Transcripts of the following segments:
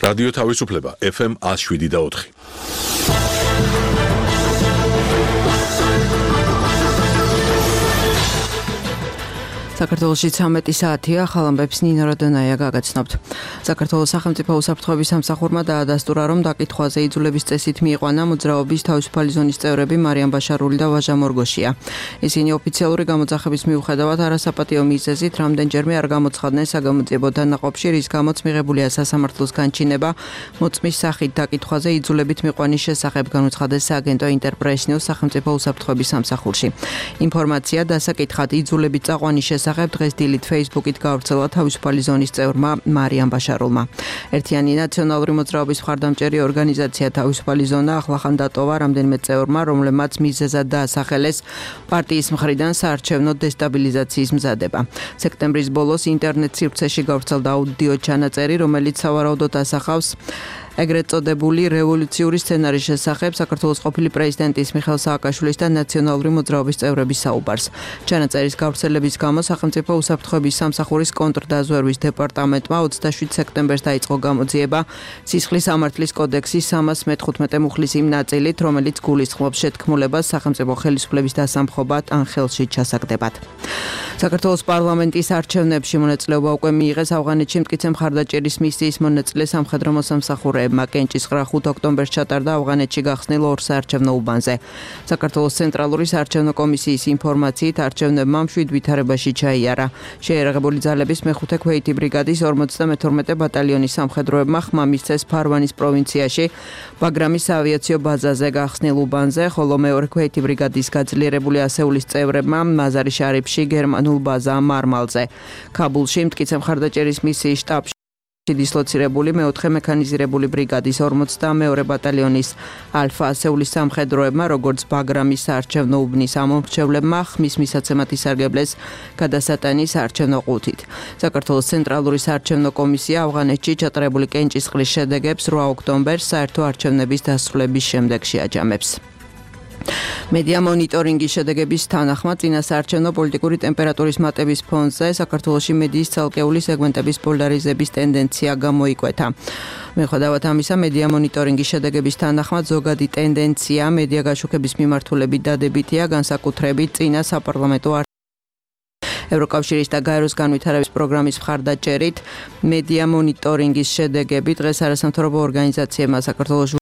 რადიო თავისუფლება FM 107.4. საქართველოში 13 საათია, ხალამბებს ნინო როდონაია გაგაცნობთ. საქართველოს სახელმწიფო უსაფრთხოების სამსახურმა დაადასტურა, რომ დაკითხვაზე იძულების წესით მიიყვანა მოძრაობის თავისუფალი ზონის წევრები მარიამ ბაშარული და ვაჟა მორგოშია. ისინი ოფიციალური გამოძახების მიუხედავად არასაპატიო მიზეზით რამდენჯერმე არ გამოცხადდნენ საგამოძიებო დანაყოფში, რის გამოც მიღებულია სასამართლოს განჩინება მოწმის სახით დაკითხვაზე იძულებით მიყვანის შესახებ, განუცხადეს სააგენტო ინტერპრესნიუს სახელმწიფო უსაფრთხოების სამსახურში. ინფორმაცია დასაკითხად იძულებით წაყვანის შესახებ დღეს დილით Facebook-ით გავრცელა თავისუფალი ზონის წევრმა მარიამ ბაშარულმა. ერთიანი ნაციონალური მოძრაობის მხარდამჭერი ორგანიზაცია თავისუფალი ზონა ახლახან დატოვა რამდენიმე წევრმა, რომლებმაც მიზეზად დაასახელეს პარტიის მხრიდან საარჩევნო დესტაბილიზაციის მზადება. სექტემბრის ბოლოს ინტერნეტ სივრცეში გავრცელდა აუდიო ჩანაწერი, რომელიც სავარაუდოდ ასახავს ეგრეთ წოდებული რევოლუციური სცენარის შესახებ საქართველოს ყოფილი პრეზიდენტის მიხეილ სააკაშვილის და ნაციონალური მოძრაობის წევრების საუბარს. ჩანაწერის გავრცელების გამო სახელმწიფო უსაფრთხოების სამსახურის კონტრდაზვერვის დეპარტამენტმა 27 სექტემბერს დაიწყო გამოძიება სისხლის სამართლის კოდექსის 315 მუხლის იმ ნაწილით, რომელიც გულისხმობს შეთქმულებას სახელმწიფო ხელისუფლების დასამხობად ან ხელში ჩასაგდებად. საქართველოს პარლამენტის არჩევნებში მონაწილეობა უკვე მიიღეს ავღანეთში მტკიცე მხარდაჭერის მისიის მონაწილე სამხედრო მოსამსახურეებმა. კენჭისყრა 5 ოქტომბერს ჩატარდა ავღანეთში გახსნილ ორ საარჩევნო უბანზე. საქართველოს ცენტრალური საარჩევნო კომისიის ინფორმაციით არჩევნებმა მშვიდ ვითარებაში ჩაიარა. შეიარაღებული ძალების მეხუთე ქვეითი ბრიგადის 52 ბატალიონის სამხედროებმა ხმა მისცეს ფარვანის პროვინციაში ბაგრამის საავიაციო ბაზაზე გახსნილ უბანზე, ხოლო მეორე ქვეითი ბრიგადის გაძლიერებული ასეულის წევრებმა მაზარი შარიფში გერმანულ ბაზა მარმალზე. ქაბულში მტკიცე მხარდაჭერის მისიის შტაბში დისლოცირებული მეოთხე მექანიზირებული ბრიგადის 42 ბატალიონის ალფა ასეულის სამხედროებმა, როგორც ბაგრამის საარჩევნო უბნის ამომრჩევლებმა ხმის მისაცემად ისარგებლეს გადასატანის საარჩევნო ყუთით. საქართველოს ცენტრალური საარჩევნო კომისია ავღანეთში ჩატარებული კენჭისყრის შედეგებს 8 ოქტომბერს საერთო არჩევნების დასრულების შემდეგ შეაჯამებს. მედია მონიტორინგის შედეგების თანახმად წინა საარჩევნო პოლიტიკური ტემპერატურის მატების ფონზე საქართველოში მედიის ცალკეული სეგმენტების პოლარიზების ტენდენცია გამოიკვეთა. მიუხედავად ამისა, მედია მონიტორინგის შედეგების თანახმად ზოგადი ტენდენცია მედია გაშუქების მიმართულებით დადებითია, განსაკუთრებით წინა საპარლამენტო ევროკავშირის და გაეროს განვითარების პროგრამის მხარდაჭერით მედია მონიტორინგის შედეგები დღეს არასამთავრობო ორგანიზაციებმა საქართველოს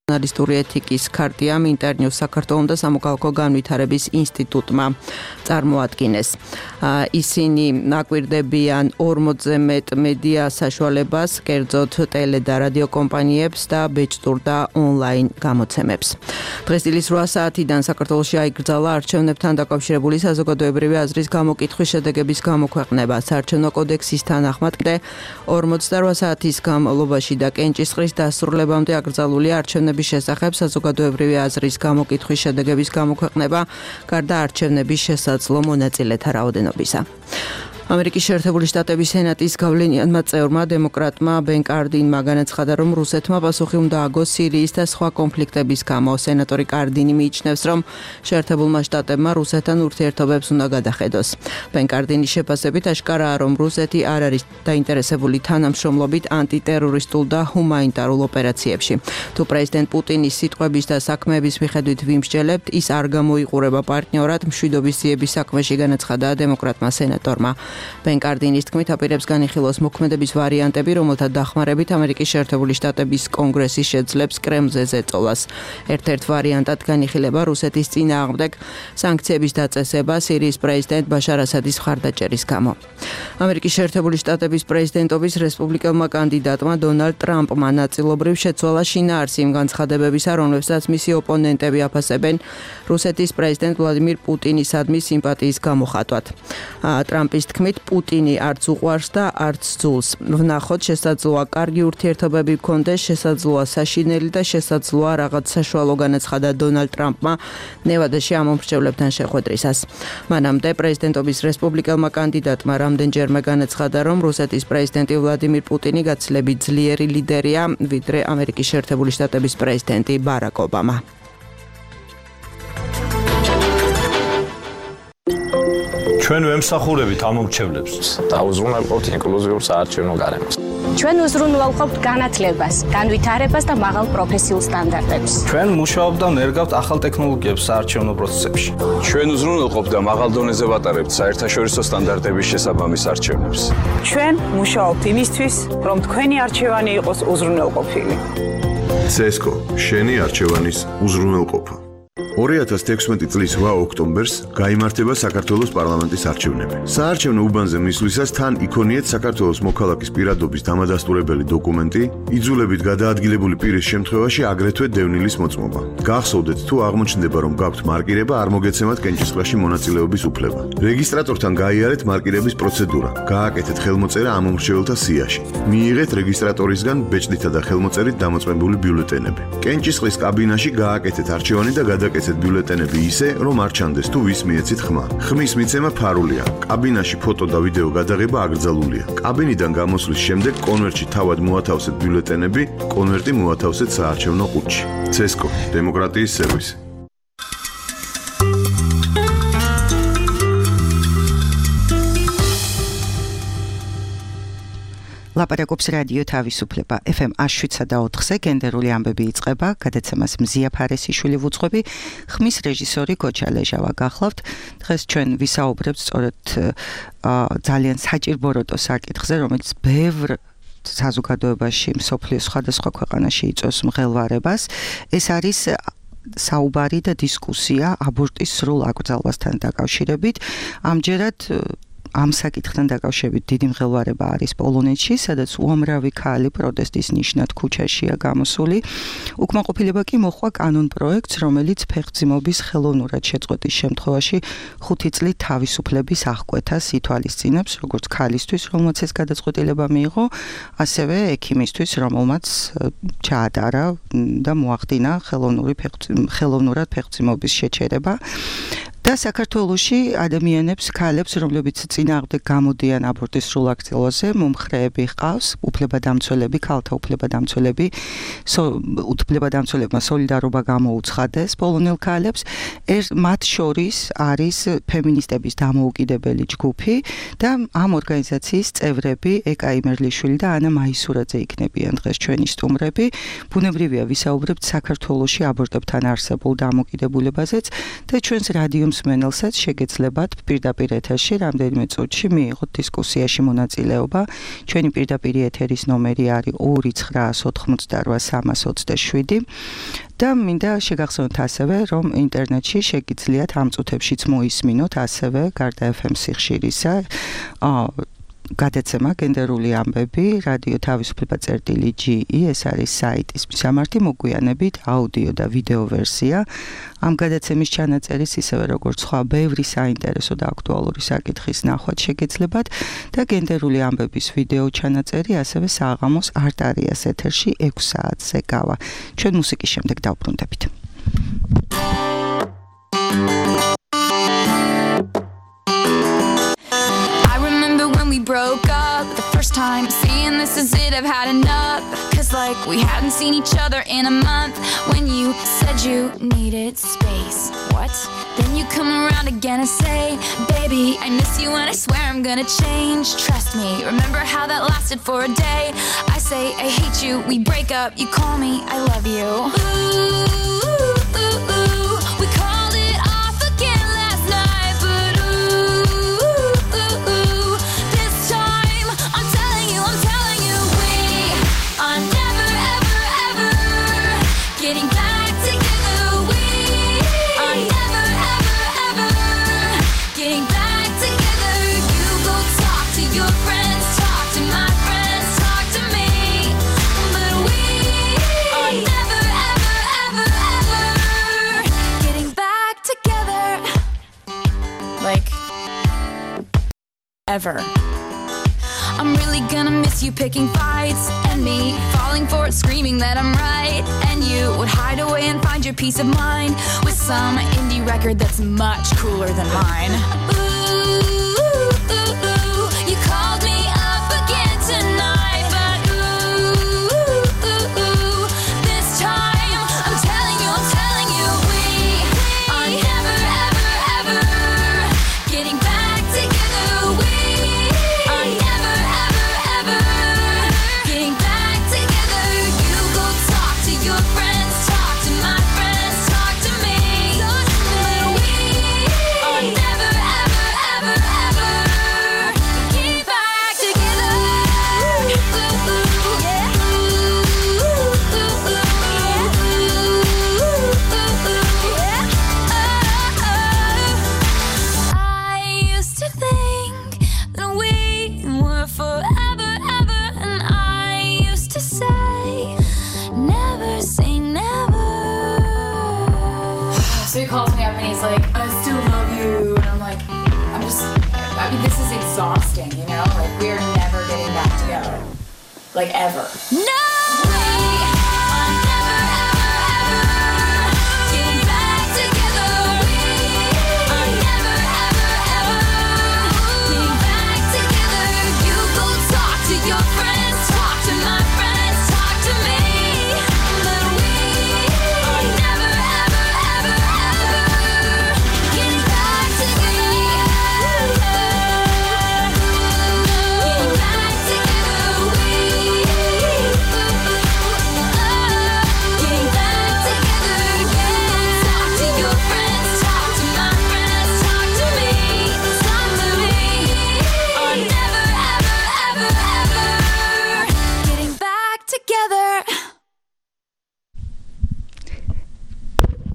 ჟურნალისტური ეთიკის ქარტიამ, ინტერნიუს საქართველოს და სამოქალაქო განვითარების ინსტიტუტმა წარმოადგინეს. ისინი აკვირდებიან 40-ზე მეტ მედია საშუალებას, კერძოდ ტელე და რადიო კომპანიებს და ბეჭდურ და ონლაინ გამოცემებს. დღეს დილის 8 საათიდან საქართველოში აიკრძალა არჩევნებთან დაკავშირებული საზოგადოებრივი აზრის გამოკითხვის შედეგების გამოქვეყნება. საარჩევნო კოდექსის თანახმად კიდე 48 საათის განმავლობაში და კენჭისყრის დასრულებამდე აკრძალულია არჩევნების შესახებ საზოგადოებრივი აზრის გამოკითხვის შედეგების გამოქვეყნება, გარდა არჩევნების შესაძლო მონაწილეთა რაოდენობისა. ამერიკის შეერთებული შტატების სენატის გავლენიანმა წევრმა დემოკრატმა ბენ კარდინმა განაცხადა, რომ რუსეთმა პასუხი უნდა აგოს სირიის და სხვა კონფლიქტების გამო. სენატორი კარდინი მიიჩნევს, რომ შეერთებულმა შტატებმა რუსეთთან ურთიერთობებს უნდა გადახედოს. ბენ კარდინის შეფასებით აშკარაა, რომ რუსეთი არ არის დაინტერესებული თანამშრომლობით ანტიტერორისტულ და ჰუმანიტარულ ოპერაციებში. თუ პრეზიდენტ პუტინის სიტყვების და საქმეების მიხედვით ვიმსჯელებთ, ის არ გამოიყურება პარტნიორად მშვიდობის ძიების საქმეში, განაცხადა დემოკრატმა სენატორმა. ბენ კარდინის თქმით, აპირებს განიხილოს მოქმედების ვარიანტები, რომელთა დახმარებით ამერიკის შეერთებული შტატების კონგრესი შეძლებს კრემლზე ზეწოლას. ერთ-ერთ ვარიანტად განიხილება რუსეთის წინააღმდეგ სანქციების დაწესება სირიის პრეზიდენტ ბაშარ ასადის მხარდაჭერის გამო. ამერიკის შეერთებული შტატების პრეზიდენტობის რესპუბლიკელმა კანდიდატმა დონალდ ტრამპმა ნაწილობრივ შეცვალა შინაარსი იმ განცხადებებისა, რომლებსაც მისი ოპონენტები აფასებენ რუსეთის პრეზიდენტ ვლადიმირ პუტინისადმი სიმპათიის გამოხატვად. ტრამპის თქმით, პუტინი არც უყვარს და არც ძულს. ვნახოთ, შესაძლოა კარგი ურთიერთობები გქონდეს, შესაძლოა საშინელი და შესაძლოა რაღაც საშუალო, განაცხადა დონალდ ტრამპმა ნევადაში ამომრჩევლებთან შეხვედრისას. მანამდე პრეზიდენტობის რესპუბლიკელმა კანდიდატმა რამდენჯერმე განაცხადა, რომ რუსეთის პრეზიდენტი ვლადიმირ პუტინი გაცილებით ძლიერი ლიდერია, ვიდრე ამერიკის შეერთებული შტატების პრეზიდენტი ბარაკ ობამა. ჩვენ ვემსახურებით ამომრჩევლებს. დაუზრუნველყოფთ ინკლუზიურ საარჩევნო გარემოს. ჩვენ უზრუნველყოფთ განათლებას, განვითარებას და მაღალ პროფესიულ სტანდარტებს. ჩვენ მუშაობთ და ნერგავთ ახალ ტექნოლოგიებს საარჩევნო პროცესებში. ჩვენ უზრუნველყოფთ და მაღალ დონეზე ვატარებთ საერთაშორისო სტანდარტების შესაბამის არჩევნებს. ჩვენ მუშაობთ იმისთვის, რომ თქვენი არჩევანი იყოს უზრუნველყოფილი. CESCO შენი არჩევანის უზრუნველყოფა. 2016 წლის 8 ოქტომბერს გაიმართება საქართველოს პარლამენტის არჩევნები. საარჩევნო უბანზე მისვლისას თან იქონიეთ საქართველოს მოქალაქის პირადობის დამადასტურებელი დოკუმენტი, იძულებით გადაადგილებული პირის შემთხვევაში აგრეთვე დევნილის მოწმობა. გახსოვდეთ თუ აღმოჩნდება რომ გაქვთ მარკირება, არ მოგეცემათ კენჭისყრაში მონაწილეობის უფლება. რეგისტრატორთან გაიარეთ მარკირების პროცედურა, გააკეთეთ ხელმოწერა ამ მომრჩეველთა სიაში. მიიღეთ რეგისტრატორისგან ბეჭდითა და ხელმოწერით დამოწმებული ბიულეტენები. კენჭისყრის კაბინაში გააკეთეთ არჩევანი და გადაკეთეთ ბიულეტენები ისე, რომ არ ჩანდეს თუ ვის მიეცით ხმა. ხმის მიცემა ფარულია. კაბინაში ფოტო და ვიდეო გადაღება აკრძალულია. კაბინიდან გამოსვლის შემდეგ კონვერტში თავად მოათავსეთ ბიულეტენები, კონვერტი მოათავსეთ საარჩევნო ყუთში. CESCO დემოკრატიის სერვისი. ლაპარაკობს რადიო თავისუფლება FM 107.4-ზე გენდერული ამბები იწყება, გადაცემას მზია ფარესიშვილი ვუძღვები, ხმის რეჟისორი გოჩა ლეჟავა გახლავთ. დღეს ჩვენ ვისაუბრებთ სწორედ ძალიან საჭირბოროტო საკითხზე, რომელიც ბევრ საზოგადოებაში, მსოფლიოს სხვადასხვა ქვეყანაში იწვევს მღელვარებას. ეს არის საუბარი და დისკუსია აბორტის სრულ აკრძალვასთან დაკავშირებით. ამჯერად ამ საკითხთან დაკავშირებით დიდი მღელვარება არის პოლონეთში, სადაც უამრავი ქალი პროტესტის ნიშნად ქუჩაშია გამოსული. უკმაყოფილება კი მოჰყვა კანონ პროექტს, რომელიც ფეხმძიმობის ხელოვნურად შეწყვეტის შემთხვევაში 5 წლით თავისუფლების აღკვეთას ითვალისწინებს, როგორც ქალისთვის, რომელმაც ეს გადაწყვეტილება მიიღო, ასევე ექიმისთვის, რომელმაც ჩაატარა და მოახდინა ხელოვნურად ფეხმძიმობის შეჩერება. და საქართველოში ადამიანებს, ქალებს, რომლებიც წინააღმდეგ გამოდიან აბორტის სრულ აკრძალვაზე, მომხრეები ჰყავს, უფლებადამცველები, ქალთა უფლებადამცველები, უფლებადამცველებმა სოლიდარობა გამოუცხადეს პოლონელ ქალებს. მათ შორის არის ფემინისტების დამოუკიდებელი ჯგუფი და ამ ორგანიზაციის წევრები ეკა იმერლიშვილი და ანა მაისურაძე იქნებიან დღეს ჩვენი სტუმრები. ბუნებრივია ვისაუბრებთ საქართველოში აბორტებთან არსებულ დამოკიდებულებაზეც და ჩვენს რადიო მსმენელსაც შეგეძლებათ პირდაპირ ეთერში რამდენიმე წუთში მიიღოთ დისკუსიაში მონაწილეობა. ჩვენი პირდაპირ ეთერის ნომერი არის 2988327 და მინდა შეგახსენოთ ასევე, რომ ინტერნეტში შეგიძლიათ ამ წუთებშიც მოისმინოთ ასევე გარდა FM სიხშირისა გადაცემა გენდერული ამბები რადიო თავისუფლება წერტილი.ge ეს არის საიტის მისამართი მოგვიანებით აუდიო და ვიდეო ვერსია. ამ გადაცემის ჩანაწერის ისევე როგორც სხვა ბევრი საინტერესო და აქტუალური საკითხის ნახვაც შეგეძლებათ და გენდერული ამბების ვიდეო ჩანაწერი ასევე საღამოს არტარიას ეთერში 6 საათზე გავა. ჩვენ მუსიკის შემდეგ დავბრუნდებით. Broke up the first time, seeing this is it, I've had enough. Cause like we hadn't seen each other in a month. When you said you needed space, what? Then you come around again and say, baby, I miss you and I swear I'm gonna change. Trust me, remember how that lasted for a day? I say I hate you, we break up, you call me, I love you. We called it off again last night, but ever. I'm really gonna miss you picking fights and me falling for it, screaming that I'm right. And you would hide away and find your peace of mind with some indie record that's much cooler than mine. You called me up again tonight, but this time I'm telling you we are never ever ever getting back together. We are never ever ever everlasting, you know? Like, we're never getting back together. Like, ever. No!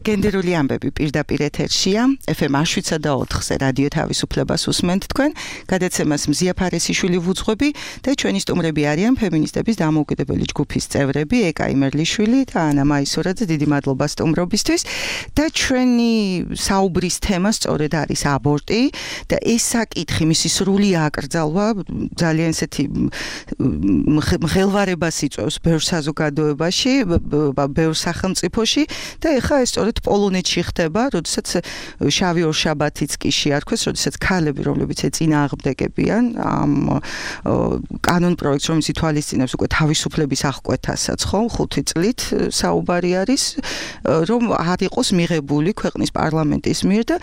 გენდერული ამბები პირდაპირ ეთერშია FM 107.4-ზე რადიო თავისუფლებას უსმენთ თქვენ გადაცემას მზია ფარესიშვილი ვუძღვები და ჩვენი სტუმრები არიან ფემინისტების დამოუკიდებელი ჯგუფის წევრები ეკა იმერლიშვილი და ანა მაისურაძე დიდი მადლობა სტუმრობისთვის და ჩვენი საუბრის თემა სწორედ არის აბორტი და ეს საკითხი მისი სრული აკრძალვა ძალიან ესეთი მღელვარებას იწვევს ბევრ საზოგადოებაში ბევრ სახელმწიფოში და ეხლა ეს სწორედ პოლონეთში ხდება, როდესაც შავი ორშაბათიც კი შეარქვეს, როდესაც ქალები, რომლებიც ეწინააღმდეგებიან ამ კანონ პროექტს, რომელიც ითვალისწინებს უკვე თავისუფლების აღკვეთასაც, ხო, 5 წლით საუბარი არის, რომ არ იყოს მიღებული ქვეყნის პარლამენტის მიერ და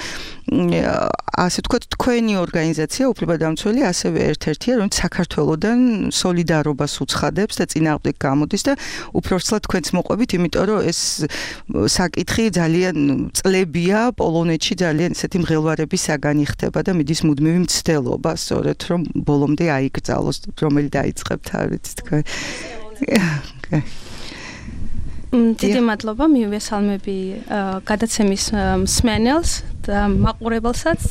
ასე ვთქვათ, თქვენი ორგანიზაცია უფლებადამცველი ასევე ერთ-ერთია, რომელიც საქართველოსთან სოლიდარობას უცხადებს და წინააღმდეგ გამოდის და უпроრცლად თქვენც მოყვებით, იმიტომ რომ ეს საკითხი ძალიან წლებია პოლონეთში ძალიან ესეთი მღელვარების საგანი ხდება და მიდის მუდმივი მცდელობა სწორედ რომ ბოლომდე აიკრძალოს რომელი დაიწყებთ არ ვიცი თქვენ დიდი მადლობა მივესალმები გადაცემის მსმენელს და მაყურებელსაც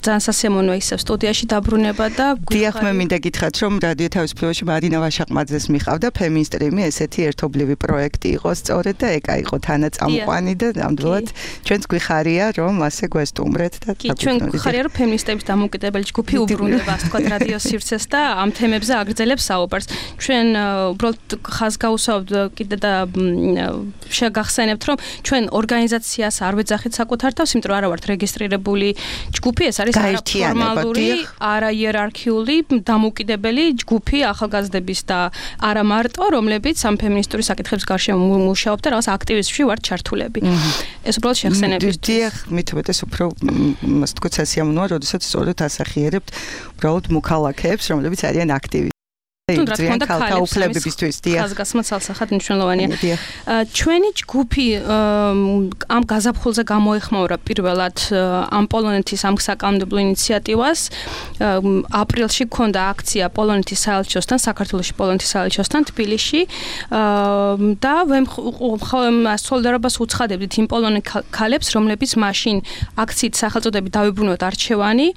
ძალიან სასიამოვნოა ისევ სტუდიაში დაბრუნება და დიახ მე მინდა გითხრათ რომ რადიო თავისუფლებაში მარინა ვაშაყმაძეს მიყავდა ფემინისტრიმი ესეთი ერთობლივი პროექტი იყო სწორედ და ეკა იყო თანაწამყვანი და ნამდვილად ჩვენც გვიხარია რომ ასე გვესტუმრეთ და კი ჩვენ გვიხარია რომ ფემინისტების დამოუკიდებელი ჯგუფი უბრუნდება ასე თქვა რადიო სივრცეს და ამ თემებზე აგრძელებს საუბარს ჩვენ უბრალოდ ხაზგაუსავთ კიდე და შეგახსენებთ რომ ჩვენ ორგანიზაციას არ ვეძახით საკუთარ თავს იმიტომ რომ არა ვართ რეგისტრირებული ჯგუფი ეს არის ფორმალური, არაიერარქიული, დამოუკიდებელი ჯგუფი ახალგაზრდების და არა მარტო, რომლებიც ამ ფემინისტური საკითხების გარშემო მუშაობთ და რაღაც აქტივიზმში ვართ ჩართულები. ეს უბრალოდ შეხსენებისთვის. დიახ, მithumet ეს უფრო ასე თქვა სასიამოვნოა, როდესაც სწორედ ასახიერებთ უბრალოდ მოქალაქეებს, რომლებიც არიან აქტივისტები. თუნდაც მქონდა ქალთაუფლებებისთვის დიახ ხაზგასმა ცალსახად მნიშვნელოვანია ჩვენი ჯგუფი ამ გაზაფხულზე გამოეხმაურა პირველად ამ პოლონეთის ამ საკანონმდებლო ინიციატივას აპრილში გქონდა აქცია პოლონეთის საელჩოსთან საქართველოში პოლონეთის საელჩოსთან თბილისში და სოლიდარობას უცხადებდით იმ პოლონელ ქალებს რომლებიც მაშინ აქციით სახელწოდებით დავიბრუნოთ არჩევანი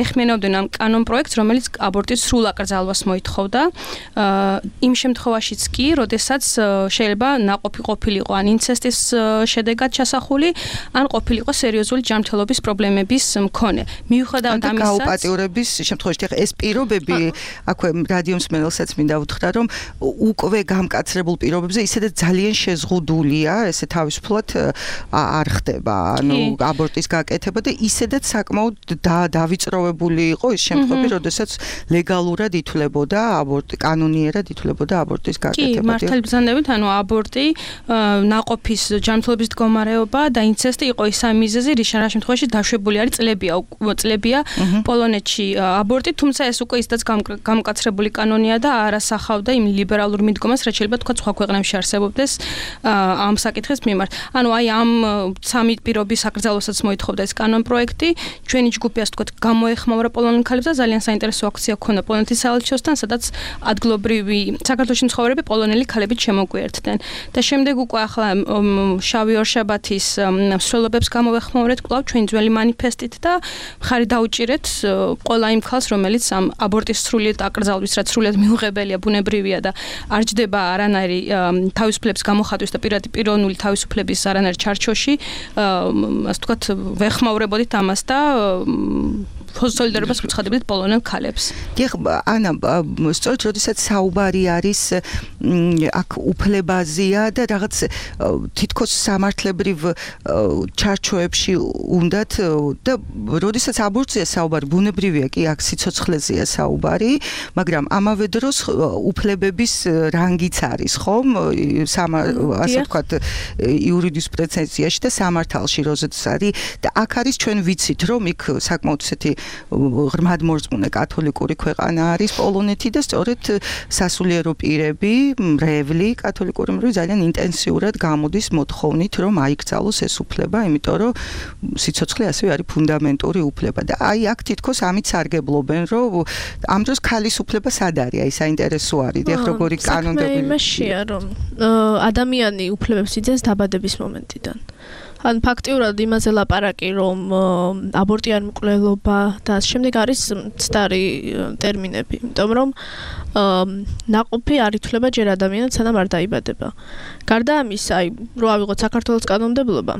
ეხმიანობდნენ ამ კანონ პროექტს რომელიც აბორტის სრულ აკრძალვას მოითხოვდა იმ შემთხვევაშიც კი, როდესაც შეიძლება ნაყოფი ყოფილიყო ან ინცესტის შედეგად ჩასახული, ან ყოფილიყო სერიოზული ჯანმრთელობის პრობლემების მქონე. მიუხედავად ამისა, გაუპატიურების შემთხვევაში ეს პირობები, აქვე რადიო მსმენელსაც მინდა უთხრა, რომ უკვე გამკაცრებულ პირობებზე ისედაც ძალიან შეზღუდულია, ესე თავისუფლად არ ხდება, ანუ აბორტის გაკეთება და ისედაც საკმაოდ დავიწროვებული იყო ის შემთხვევები, როდესაც ლეგალურად ითვლებოდა აბორტი კანონიერად ითვლებოდა აბორტის გაკეთება. კი, მართალი ბრძანებით, ანუ აბორტი, ნაყოფის ჯანმრთელობის მდგომარეობა და ინცესტი იყო ის ამ მიზეზი, რის შემთხვევაში დაშვებული არის წლებია პოლონეთში აბორტი, თუმცა ეს უკვე ისედაც გამკაცრებული კანონია და არ ასახავდა იმ ლიბერალურ მიდგომას, რაც შეიძლება თქვა სხვა ქვეყნებში არსებობდეს ამ საკითხის მიმართ. ანუ აი ამ სამი პირობის აკრძალვასაც მოითხოვდა ეს კანონ პროექტი, ჩვენი ჯგუფი ასე თქვა გამოეხმაურა პოლონელ ქალებს და ძალიან საინტერესო აქცია ჰქონდა პოლონეთის საელჩოსთან, სადაც ადგილობრივი საქართველოში მცხოვრები პოლონელი ქალებით შემოგვიერთდნენ და შემდეგ უკვე ახლა შავი ორშაბათის მსვლელობებს გამოვეხმაურეთ კვლავ ჩვენი ძველი მანიფესტით და მხარი დაუჭირეთ ყველა იმ ქალს რომელიც ამ აბორტის სრულიად აკრძალვის რაც სრულიად მიუღებელია ბუნებრივია და არ ჯდება არანაირი თავისუფლების გამოხატვის და პიროვნული თავისუფლების არანაირ ჩარჩოში ასე ვთქვათ ვეხმაურებოდით ამას და სოლიდარობას ვუცხადებდით პოლონელ ქალებს. დიახ, ანა, სწორედ როდესაც საუბარი არის აქ უფლებაზეა და რაღაც თითქოს სამართლებრივ ჩარჩოებში უნდათ და როდესაც აბორტზეა საუბარი, ბუნებრივია კი აქ სიცოცხლეზეა საუბარი, მაგრამ ამავე დროს უფლებების რანგიც არის, ხომ? ასე ვთქვათ, იურიდიულ პრეცედენციაში და სამართალში როზეც არის და აქ არის ჩვენ ვიცით, რომ იქ საკმაოდ ესეთი ღრმად მორწმუნე კათოლიკური ქვეყანა არის პოლონეთი და სწორედ სასულიერო პირები, მრევლი კათოლიკური მრევლი ძალიან ინტენსიურად გამოდის მოთხოვნით, რომ აიკრძალოს ეს უფლება, იმიტომ რომ სიცოცხლე ასევე არის ფუნდამენტური უფლება და აი აქ თითქოს ამით სარგებლობენ, რომ ამ დროს ქალის უფლება სად არის, აი საინტერესო არის, დიახ, როგორი კანონები იმაშია, რომ ადამიანი უფლებებს იძენს დაბადების მომენტიდან. ან ფაქტიურად იმაზე ლაპარაკი, რომ აბორტი არ მკვლელობა და ამ შემდეგ არის მცდარი ტერმინები, იმიტომ რომ ნაყოფი არ ითვლება ჯერ ადამიანად, სანამ არ დაიბადება. გარდა ამისა, აი, რო ავიღოთ საქართველოს კანონმდებლობა.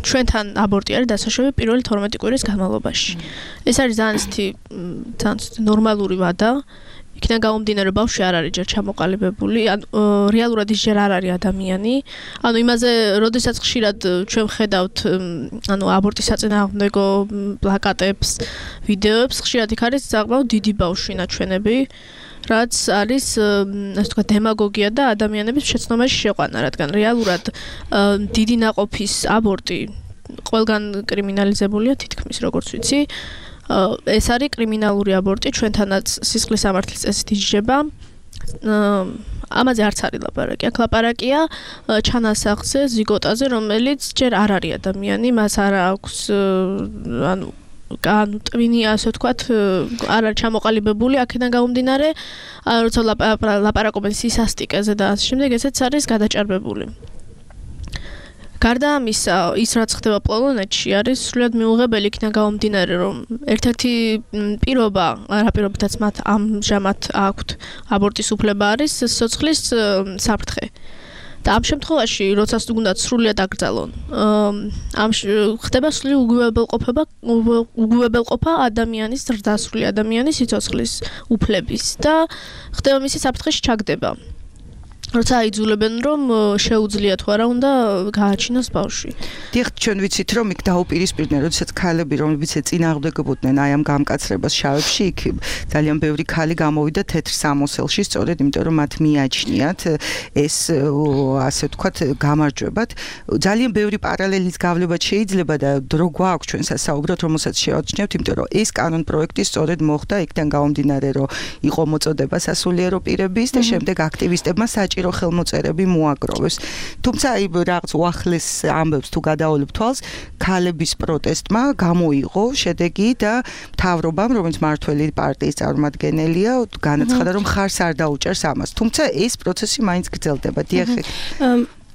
ჩვენთან აბორტი არის დასაშვები პირველი 12 კვირის განმავლობაში. ეს არის ძალიან ნორმალური ვადა. იქიდან გამომდინარე ბავშვი არ არის ჯერ ჩამოყალიბებული, ან რეალურად ის ჯერ არ არის ადამიანი. ანუ იმაზე, როდესაც ხშირად ჩვენ ვხედავთ, ანუ აბორტის საწინააღმდეგო პლაკატებს, ვიდეოებს, ხშირად იქ არის საკმაოდ დიდი ბავშვი ნაჩვენები, რაც არის, ასე ვთქვათ, დემაგოგია და ადამიანების შეცდომაში შეყვანა, რადგან რეალურად დიდი ნაყოფის აბორტი ყველგან კრიმინალიზებულია თითქმის, როგორც ვიცი. ეს არის კრიმინალური აბორტი, ჩვენთანაც სისხლის სამართლის წესით იჯება. ამაზე არც არის ლაპარაკი. აქ ლაპარაკია ჩანასახზე, ზიგოტაზე, რომელიც ჯერ არ არის ადამიანი, მას არ აქვს ანუ ტვინი, ასე ვთქვათ, არ არის ჩამოყალიბებული, აქედან გამომდინარე, როცა ლაპარაკობენ სისასტიკეზე და ასე შემდეგ, ესეც არის გადაჭარბებული. გარდა ამისა, ის რაც ხდება პოლონეთში არის სრულიად მიუღებელი, იქიდან გამომდინარე, რომ ერთ-ერთი პირობა, რა პირობითაც მათ ამჟამად აქვთ აბორტის უფლება არის სიცოცხლის საფრთხე. და ამ შემთხვევაში, როდესაც უნდა სრულიად აკრძალონ, ხდება სრული უგუვებელყოფა ადამიანის, ზრდასრული ადამიანის სიცოცხლის უფლების და ხდება მისი საფრთხეში ჩაგდება. როცა აიძულებენ, რომ შეუძლია თუ არა უნდა გააჩინოს ბავშვი. დიახ, ჩვენ ვიცით, რომ იქ დაუპირისპირდნენ, როდესაც ქალები, რომლებიც წინააღმდეგებოდნენ აი ამ გამკაცრებას შავებში, იქ ძალიან ბევრი ქალი გამოვიდა თეთრ სამოსელში, სწორედ იმიტომ, რომ მათ მიაჩნიათ ეს, ასე ვთქვათ, გამარჯვებად. ძალიან ბევრი პარალელის გავლებაც შეიძლება და დრო გვაქვს ჩვენ სასაუბროთ, რომელსაც შევაჩნევთ, იმიტომ რომ ეს კანონ პროექტი სწორედ მოხდა იქიდან გამომდინარე, რომ იყო მოწოდება სასულიერო პირების და შემდეგ აქტივისტებმა საჭირო ხელმოწერები მოაგროვეს. თუმცა აი რაღაც უახლეს ამბებს თუ გადავალებ თვალს, ქალების პროტესტმა გამოიღო შედეგი და მთავრობამ, რომელიც მართველი პარტიის წარმომადგენელია, განაცხადა, რომ ხარს არ დაუჭერს ამას. თუმცა ეს პროცესი მაინც გრძელდება. დიახ.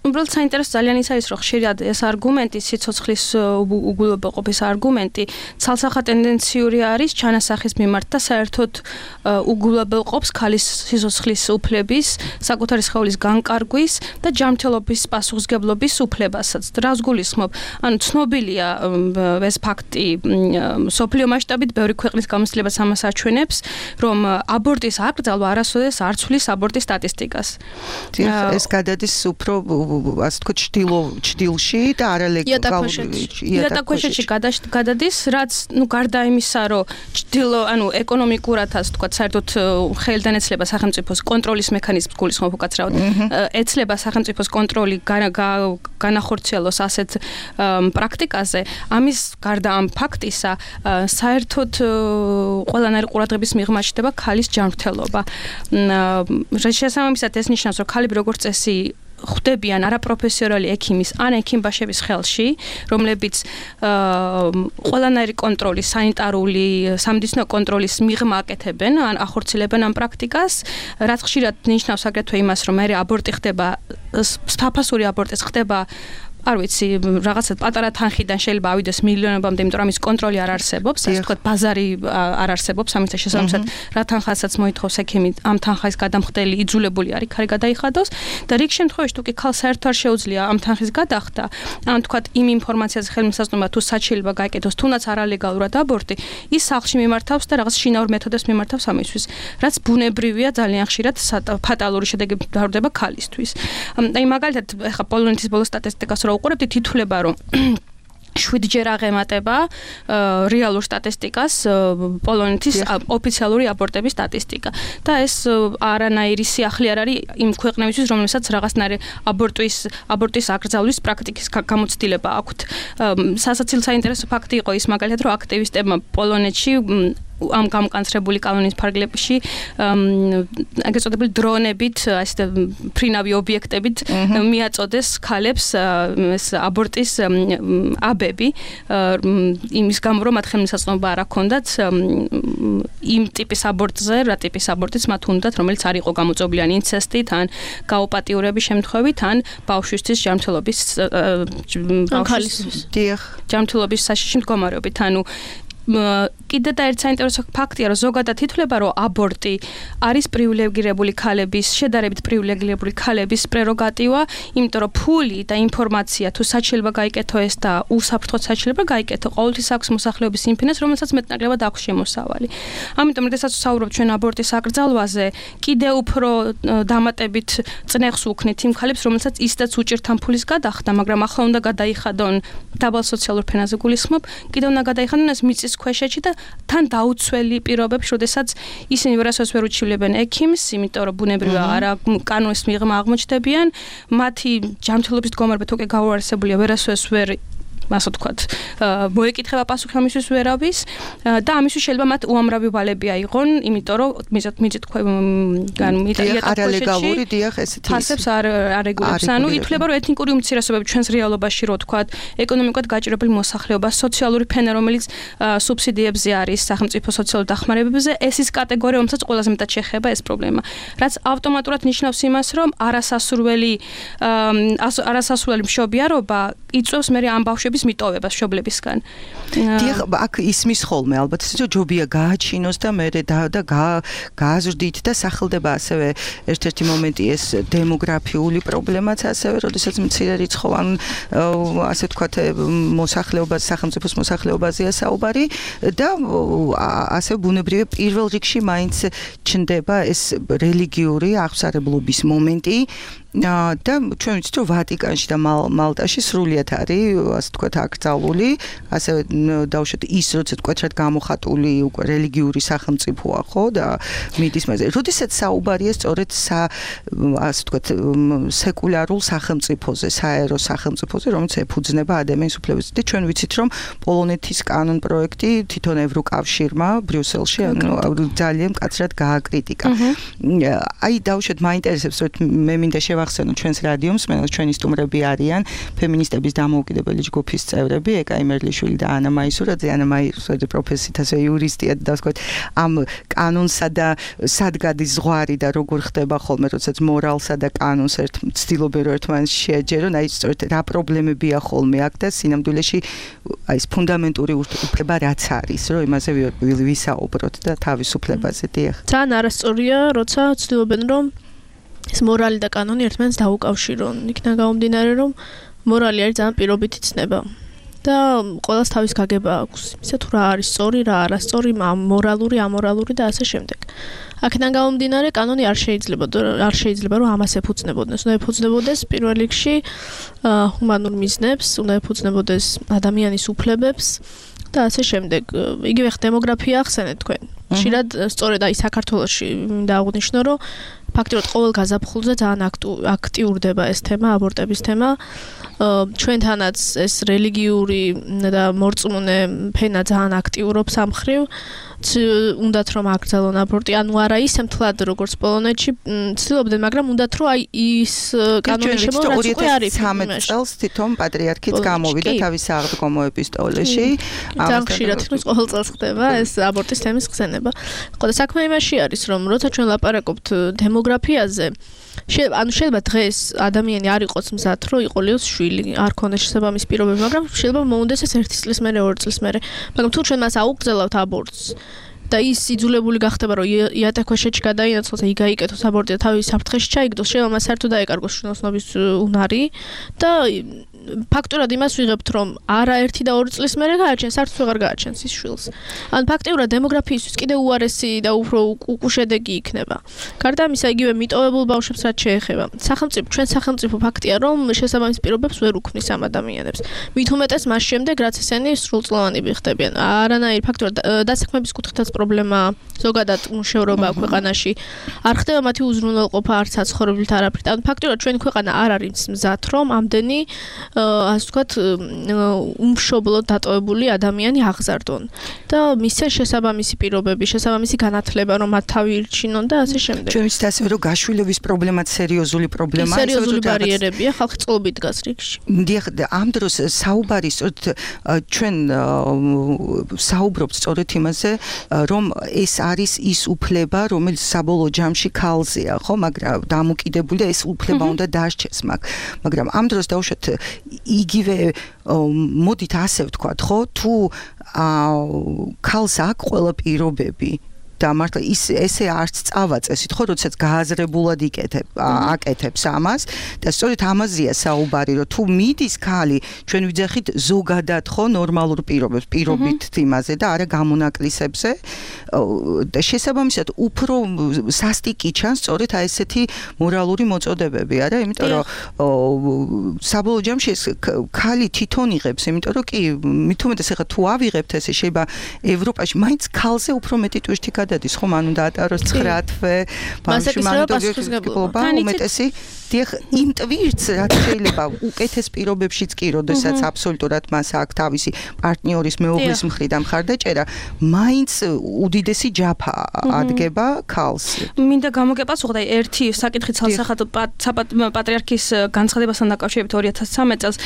უბრალოდ საინტერესო ძალიან ის არის, რომ ხშირად ეს არგუმენტი, სიცოცხლის უგულებელყოფის არგუმენტი, ცალსახა ტენდენციური არის ჩანასახის მიმართ და საერთოდ უგულებელყოფს ქალის სიცოცხლის უფლების, საკუთარი სხეულის განკარგვის და ჯანმრთელობის პასუხისმგებლობის უფლებასაც. რას გულისხმობ? ანუ ცნობილია ეს ფაქტი მსოფლიო მასშტაბით, ბევრი ქვეყნის გამოცდილებას ამას აჩვენებს, რომ აბორტის აკრძალვა არასოდეს არ ცვლის აბორტის სტატისტიკას. ეს გადადის უფრო ასე თქვა ჭდილში და იატაკქვეშეთში გადადის, რაც გარდა იმისა, რომ ჭდილო, ანუ ეკონომიკურად ასე თქვა, საერთოდ ხელდანეცლება სახელმწიფოს კონტროლის მექანიზმს გულისხმობ უკაცრავად. ეცლება სახელმწიფოს კონტროლი განახორციელოს ასეთ პრაქტიკაზე. ამის გარდა ამ ფაქტისა, საერთოდ ყველანაირი ყურადღების მიღმა ჩნდება ქალის ჯანმრთელობა. შესაბამისად ეს ნიშნავს, რომ ქალები როგორც წესი ხვდებიან არაპროფესიონალი ექიმის ან ექიმბაშების ხელში, რომლებიც ყველანაირი კონტროლი, სანიტარული, სამედიცინო კონტროლის მიღმა აკეთებენ, ან ახორციელებენ ამ პრაქტიკას, რაც ხშირად ნიშნავს აგრეთვე იმას, რომ მე აბორტი ხდება, საფასური აბორტიც ხდება არ ვიცი, რაღაცა პატარა თანხიდან შეიძლება ავიდეს მილიონებამდე, იმიტომ რომ ის კონტროლი არ არსებობს, ასე ვთქვათ, ბაზარი არ არსებობს, ამის შესაბამისად, რა თანხასაც მოითხოვს ექიმი, ამ თანხის გადამხდელი იძულებული არის ქარი გადაიხადოს და რიგ შემთხვევაში თუ კი ქალს საერთოდ არ შეუძლია ამ თანხის გადახდა, ან ვთქვათ, იმ ინფორმაციაზე ხელმისაწვდომა თუ შეიძლება გაიკეთოს, თუნდაც არალეგალურად აბორტი, ის სახლში მიმართავს და რაღაც შინაურ მეთოდებს მიმართავს ამისთვის, რაც ბუნებრივია ძალიან ხშირად ფატალური შედეგი დავრდება ქალისთვის. აი მაგალითად, ახლა პოლონეთის ბოლო სტატისტიკას რო უყურებთ, ითვლება, რომ 7-ჯერ აღემატება რეალურ სტატისტიკას პოლონეთის ოფიციალური აბორტების სტატისტიკა. და ეს არანაირი სიახლე არ არის იმ ქვეყნებისთვის, რომელსაც რაღაცნაირი აბორტის აკრძალვის პრაქტიკის გამოცდილება აქვთ. სასაცილო საინტერესო ფაქტი იყო ის მაგალითად, რომ აქტივისტებმა პოლონეთში ამ გამკანცრებული კანონის ფარგლებში ეგრეთ წოდებული დრონებით, ასე ფრინავი ობიექტებით მიაწოდეს ქალებს ეს აბორტის აბები, იმის გამო რომ მათ ხელმისაწვდომობა არ აქონდათ იმ ტიპის აბორტზე, რა ტიპის აბორტიც მათ უნდათ, რომელიც არ იყო გამოწვეული ან ინცესტით, ან გაუპატიურების შემთხვევით, ან ბავშვისთვის ჯანმრთელობის ჯანმრთელობის საშიში მდგომარეობით, ანუ კიდე და ერთ საინტერესო ფაქტია, რომ ზოგადად ითვლება, რომ აბორტი არის პრივილეგირებული ქალების, შედარებით პრივილეგირებული ქალების პრეროგატივა, იმიტომ რომ ფული და ინფორმაცია თუ საჩილება გაიკეთო ეს და უსაფრთხოდ საჩილება გაიკეთო, ყოველთვის აქვს მოსახლეობის იმ ფინას, რომელსაც მეტნაკლებად აქვს შემოსავალი. ამიტომ, როდესაც ვსაუბრობთ ჩვენ აბორტის აკრძალვაზე, კიდე უფრო დამატებით წნეხს უქნით იმ ქალებს, რომელსაც ისედაც უჭირთ ამ ფულის გადახდა, მაგრამ ახლა უნდა გადაიხადონ დაბალ სოციალურ ფენაზე გულისხმობ, კიდევ უნდა გადაიხადონ ეს მიწის ქვეშეთში და თან დაუცველი პირობებში, როდესაც ისინი ვერასოდეს ვერ უჩივლებენ ექიმს, იმიტომ რომ ბუნებრივია არა კანონის მიღმა აღმოჩნდებიან, მათი ჯანმრთელობის მდგომარეობა თუ კი გაუარესებულია, ვერასოდეს ვერ ასე ვთქვათ, მოეკითხება პასუხი ამისთვის ვერავის და ამისთვის შეიძლება მათ უამრავი ვალები აიღონ, იმიტომ რომ მიწით არალეგალური დიახ ესეთი ფასებს არ რეგულებს. ანუ ითვლება, რომ ეთნიკური უმცირესობები ჩვენს რეალობაში, რო ვთქვათ, ეკონომიკურად გაჭირვებული მოსახლეობა, სოციალური ფენა, რომელიც სუბსიდიებზე არის სახელმწიფო სოციალურ დახმარებებზე, ეს ის კატეგორია, რომელსაც ყველაზე მეტად შეეხება ეს პრობლემა. რაც ავტომატურად ნიშნავს იმას, რომ არასასურველი მშობიარობა იწვევს მე ამ ბავშვების მიტოვებას მშობლებისგან. დიახ, აქ ისმის ხოლმე ალბათ ისე ჯობია გააჩინოს და მე და გააზრდით და სახელდება ასევე ერთ-ერთი მომენტი ეს დემოგრაფიული პრობლემაც ასევე, როდესაც მცირე რიცხოვან ასე ვთქვათ მოსახლეობას, სახელმწიფოს მოსახლეობაზეა საუბარი და ასე ბუნებრივია პირველ რიგში მაინც ჩნდება ეს რელიგიური აღსარებლობის მომენტი. და ჩვენ ვიცით, რომ ვატიკანში და მალტაში სრულიად არის, ასე ვთქვათ, აკრძალული, ასევე დავუშვათ ის, როცა ვთქვათ, რაც გამოხატული უკვე რელიგიური სახელმწიფოა, ხო, და მიდის მასე. როდესაც საუბარია სწორედ ასე ვთქვათ, სეკულარულ სახელმწიფოზე, საერო სახელმწიფოზე, რომელიც ეფუძნება ადამიანის უფლებებს. და ჩვენ ვიცით, რომ პოლონეთის კანონ პროექტი თვითონ ევროკავშირმა ბრიუსელში ძალიან მკაცრად გააკრიტიკა. აი დავუშვათ, მაინტერესებს, რომ მე მინდა ახსენო ჩვენს რადიომს, ჩვენი სტუმრები არიან ფემინისტების დამოუკიდებელი ჯგუფის წევრები, ეკა იმერლიშვილი და ანა მაისურაძე. ანა მაისურაძე პროფესიით ასე იურისტია და ვთქვათ, ამ კანონსა და სადგადის ზღვარი და როგორ ხდება ხოლმე, როდესაც მორალსა და კანონს ცდილობენ რომ ერთმანეთს შეაჯერონ, აი სწორედ რა პრობლემებია ხოლმე აქ და სინამდვილეში აი ეს ფუნდამენტური უფლება რაც არის, რომ იმაზე ვისაუბროთ და თავისუფლებაზე. დიახ. ძალიან არასწორია, როცა ცდილობენ რომ ეს მორალი და კანონი ერთმანეთს დაუკავშირონ. იქიდან გამომდინარე, რომ მორალი არის ძალიან პირობითი ცნება და ყველას თავის გაგება აქვს. ისე თუ რა არის სწორი, რა არასწორი, მორალური, ამორალური და ასე შემდეგ. აქედან გამომდინარე, კანონი არ შეიძლება რომ ამას ეფუძნებოდეს. უნდა ეფუძნებოდეს პირველ რიგში ჰუმანურ მიზნებს, უნდა ეფუძნებოდეს ადამიანის უფლებებს და ასე შემდეგ. იგივე დემოგრაფია ახსენეთ თქვენ. ხშირად სწორედ აი საქართველოში დააღნიშნო, რომ ფაქტობრივად ყოველ გაზაფხულზე ძალიან აქტიურდება ეს თემა, აბორტების თემა. ჩვენთანაც ეს რელიგიური და მორწმუნე ფენა ძალიან აქტიურობს ამ მხრივ. უნდათ რომ აკრძალონ აბორტი, ანუ არა ისე მთლად როგორც პოლონეთში ცდილობდნენ, მაგრამ უნდათ რომ აი ის კანონის შემოღება უკვე არის. 2013 წელს თვითონ პატრიარქიც გამოვიდა თავის აღდგომო ეპისტოლეში. ძალიან ხშირად ყოველ წელს ხდება ეს აბორტის თემის ხსენება. ხო და საქმე იმაში არის, რომ როცა ჩვენ ლაპარაკობთ დემოგრაფიაზე, შეიძლება დღეს ადამიანი არ იყოს მზად, რომ იყოლიოს შვილი, არ ქონდეს შესაბამისი პირობები, მაგრამ შეიძლება მოუნდეს ეს 1 წლის მერე, 2 წლის მერე. მაგრამ თუ ჩვენ მას აუგზავნებთ აბორტს და ის იძულებული გახდება, რომ იატაკქვეშეთში გადაინაცვლოს და იგაიკეთოს აბორტი და თავის საფრთხეში ჩაიგდოს, შეიძლება მას საერთოდ დაეკარგოს შვილოსნობის უნარი და ფაქტურად იმას ვიღებთ, რომ არა 1 და 2 წლის მერე გააჩენს, საერთოდ აღარ გააჩენს ის შვილს. ან ფაქტიურად დემოგრაფიისთვის კიდევ უარესი და უფრო უკუშედეგი იქნება. გარდა ამისა, იგივე მიტოვებულ ბავშვებს რაც შეეხება. ჩვენ სახელმწიფო ფაქტია, რომ შესაბამის პირობებს ვერ უქმნის ამ ადამიანებს. მით უმეტეს მას შემდეგ, რაც ესენი სრულწლოვანები ხდებიან. არანაირი ფაქტურად დასაქმების კუთხითაც პრობლემაა, ზოგადად მუშევრობა ქვეყანაში. არ ხდება მათი უზრუნველყოფა არც საცხოვრებლით არაფრით. ან ფაქტიურად ჩვენი ქვეყანა არ არის მზად, რომ ამდენი ასე ვთქვათ, უმშობლოდ დატოვებული ადამიანი აღზარდონ და მისცენ შესაბამისი პირობები, შესაბამისი განათლება, რომ მათ თავი ირჩინონ და ასე შემდეგ. ჩვენ ვიცით ასევე, რომ გაშვილების პრობლემაც სერიოზული პრობლემაა, სერიოზული ბარიერებია, ხალხი წყობით დგას რიგში. დიახ, ამ დროს საუბარი სწორედ ჩვენ საუბრობთ სწორედ იმაზე, რომ ეს არის ის უფლება, რომელიც საბოლოო ჯამში ქალზეა, ხო, მაგრამ დამოკიდებული და ეს უფლება უნდა დაარჩეს მაგ. მაგრამ ამ დროს დავუშვათ იგივე მოდით ასე ვთქვათ, ხო, თუ ქალს აქვს ყველა პირობები და მართლა ესე არც წავაწესით, ხო, როდესაც გააზრებულად აკეთებს ამას და სწორედ ამაზეა საუბარი, რომ თუ მიდის ქალი, ჩვენ ვიძახით ზოგადად, ხო, ნორმალურ პირობებს, პირობით იმაზე და არა გამონაკლისებზე და შესაბამისად უფრო სასტიკი ჩანს სწორედ აი ესეთი მორალური მოწოდებები, არა? იმიტომ რომ საბოლოო ჯამში ეს ქალი თვითონ იღებს, იმიტომ რომ კი, მით უმეტეს ახლა თუ ავიღებთ ესე შეიძლება ევროპაში მაინც ქალზე უფრო მეტი ტვირთი გადადის, ხო, მან უნდა ატაროს 9 თვე, ბავშვი მან უნდა გულობა უმეტესი დიახ, იმ ტვირთს რაც შეიძლება უკეთეს პირობებშიც კი, როდესაც აბსოლუტურად მას აქვს თავისი პარტნიორის მეუღლის მხრიდან მხარდაჭერა, მაინც უდიდესი ჯაფა ადგება ქალს. მინდა გამოგეპასუხოთ, აი ერთი საკითხი ცალსახად პატრიარქის განცხადებასთან დაკავშირებით 2013 წელს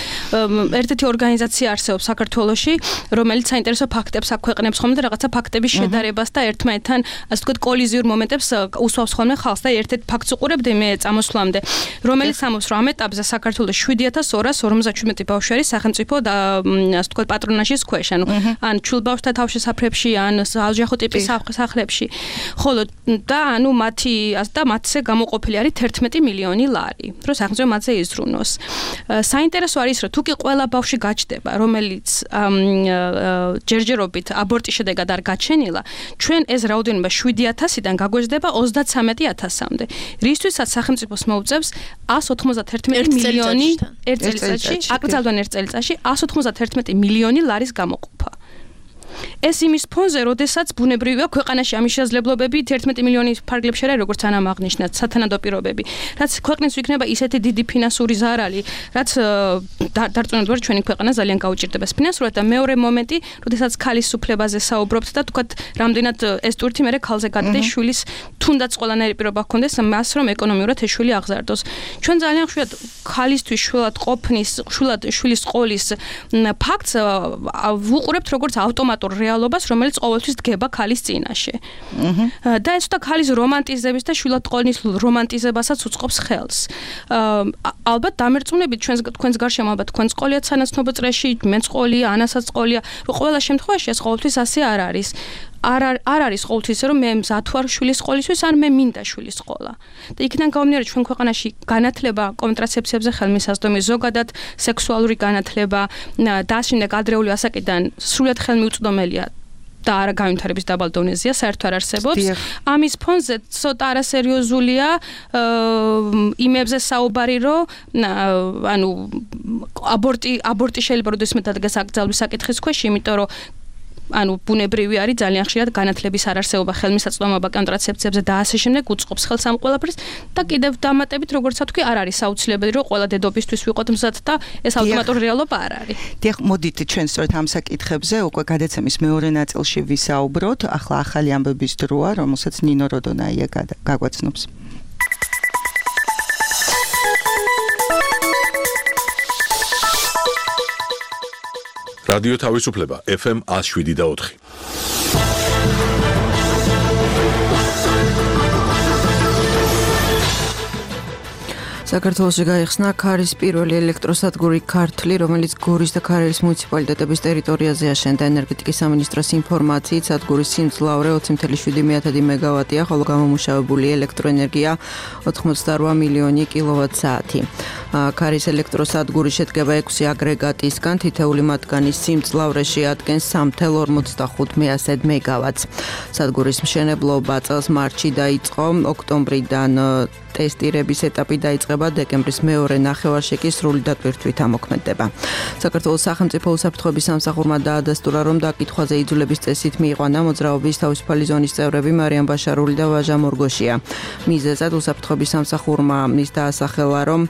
ერთ-ერთი ორგანიზაცია არსებობს საქართველოში, რომელიც საინტერესო ფაქტებს აქვეყნებს ხოლმე და რაღაცა ფაქტების შედარებას და ერთმანეთთან, ასე ვთქვათ, კოლიზიურ მომენტებს უსვავს ხოლმე ხალხს და ერთ-ერთ ფაქტს უყურებდი მე წამოსვლამდე, რომელიც ამობს, რომ ამ ეტაპზე საქართველოს 7257 ბავშვი არის სახელმწიფო და ასე ვთქვათ პატრონაჟის ქვეშ, ან ჩულბავშვთა თავშესაფრებში, ან საოჯახო ტიპის სახლებში. ხოლო და ანუ მათზე გამოყოფილი არის 11 მილიონი ლარი, რომ სახელმწიფო მათზე იზრუნოს. საინტერესო არის, რომ თუ კი ყველა ბავშვი გაჩნდება, რომელიც ჯერჯერობით აბორტის შედეგად არ გაჩენილა, ჩვენ ეს რაოდენობა 7000-დან გაგვეждდება 33000-მდე. რისთვისაც სახელმწიფოს მოუწევს 191 მილიონი ერთ წელიწადში, აკრძალვენ ერთ წელიწადში 191 მილიონი ლარის გამოყოფა. ეს იმის ფონზე, როდესაც ბუნებრივია ქვეყანაში ამის შესაძლებლობები 11 მილიონის ფარგლებში არა, როგორც ანამ აღნიშნათ, სათანადო პირობები. რაც ქვეყნის იქნება ისეთი დიდი ფინანსური ზარალი, რაც დარწმუნებულად ჩვენი ქვეყანა ძალიან გაუჭირდება ფინანსურად და მეორე მომენტი, როდესაც ქალის უფლებაზე საუბრობთ და თქვათ, რამდენად ეს ტვირთი მერე ქალზე გადადის შვილის თუნდაც ყველანაირი პირობა ჰქონდეს მას, რომ ეკონომიურად ეს შვილი აღზარდოს. ჩვენ ძალიან ხშირად ქალისთვის შვილად ყოფნის, შვილის ყოლის ფაქტს ვუყურებთ როგორც ავტომატურ რეალობას, რომელიც ყოველთვის დგება ქალის წინაშე. და ეს და ქალის რომანტიზების და შვილად ყოლის რომანტიზებასაც უწყობს ხელს. ალბათ დამერწმუნებით თქვენს გარშემო ალბათ თქვენს ყოლია სანაცნობო წრეში, მეც ყოლია, ანასაც ყოლია, რომ ყველა შემთხვევაში ეს ყოველთვის ასე არ არის. არ არის ყოველთვის რომ მე მზად ვარ შვილის ყოლისთვის, ან მე მინდა შვილის ყოლა. და იქიდან გამომდინარე ჩვენ ქვეყანაში განათლება კონტრაცეფციებზე ხელმისაწვდომი, ზოგადად სექსუალური განათლება და შემდეგ ადრეული ასაკიდან სრულად ხელმიუწვდომელია და არა განვითარების დაბალ დონეზეა, საერთოდ არ არსებობს. ამის ფონზე ცოტა არასერიოზულია იმებზე საუბარი, რომ ანუ აბორტი შეიძლება როდესმე დადგეს აკრძალვის საკითხის ქვეშ, იმიტომ რომ ანუ ბუნებრივი არის ძალიან ხშირად განათლების არარსებობა, ხელმისაწვდომობა კონტრაცეფციებზე და ასე შემდეგ უწყობს ხელს ამ ყველაფერს და კიდევ დამატებით როგორც ვთქვი, არ არის აუცილებელი რომ ყველა დედობისთვის ვიყოთ მზად და ეს ავტომატური რეალობა არ არის. დიახ, მოდით ჩვენ სწორედ ამ საკითხებზე უკვე გადაცემის მეორე ნაწილში ვისაუბროთ. ახლა ახალი ამბების დროა, რომელსაც ნინო როდონაია გაგვაცნობს. რადიო თავისუფლება FM 107.4. საქართველოში გაიხსნა ქარის პირველი ელექტროსადგური ქართლი, რომელიც გორის და ქარელის მუნიციპალიტეტების ტერიტორიაზე აშენდა. ენერგეტიკის სამინისტროს ინფორმაციით, სადგურის სიმძლავრე 20.7 მეგავატია, ხოლო გამომუშავებული ელექტროენერგია 88 მილიონი კილოვატ-საათი. ქარის ელექტროსადგური შედგება 6 აგრეგატისგან, თითეული მათგანის სიმძლავრე შეადგენს 3.45 მეგავატს. სადგურის მშენებლობა წელს მარტში დაიწყო, ოქტომბრიდან ტესტირების ეტაპი დაიწყება, დეკემბრის მეორე ნახევარში კი სრული დატვირთვით ამოქმედება. საქართველოს სახელმწიფო უსაფრთხოების სამსახურმა დაადასტურა, რომ დაკითხვაზე იძულების წესით მიიყვანა მოძრაობის თავისუფალი ზონის წევრები მარიამ ბაშარული და ვაჟა მორგოშია. მიზეზად უსაფრთხოების სამსახურმა ის დაასახელა, რომ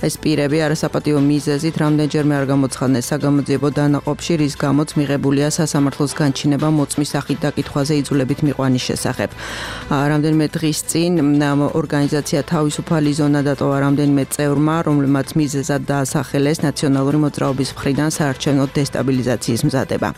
ეს პირები არასაპატიო მიზეზით რამდენჯერმე არ გამოცხადნეს საგამოძიებო დანაყოფში, რის გამოც მიღებულია სასამართლოს განჩინება მოწმის სახით დაკითხვაზე იძულებით მიყვანის შესახებ. რამდენიმე დღის წინ ორგანიზაცია თავისუფალი ზონა დატოვა რამდენიმე წევრმა, რომლებმაც მიზეზად დაასახელეს ნაციონალური მოძრაობის მხრიდან საარჩევნო დესტაბილიზაციის მზადება.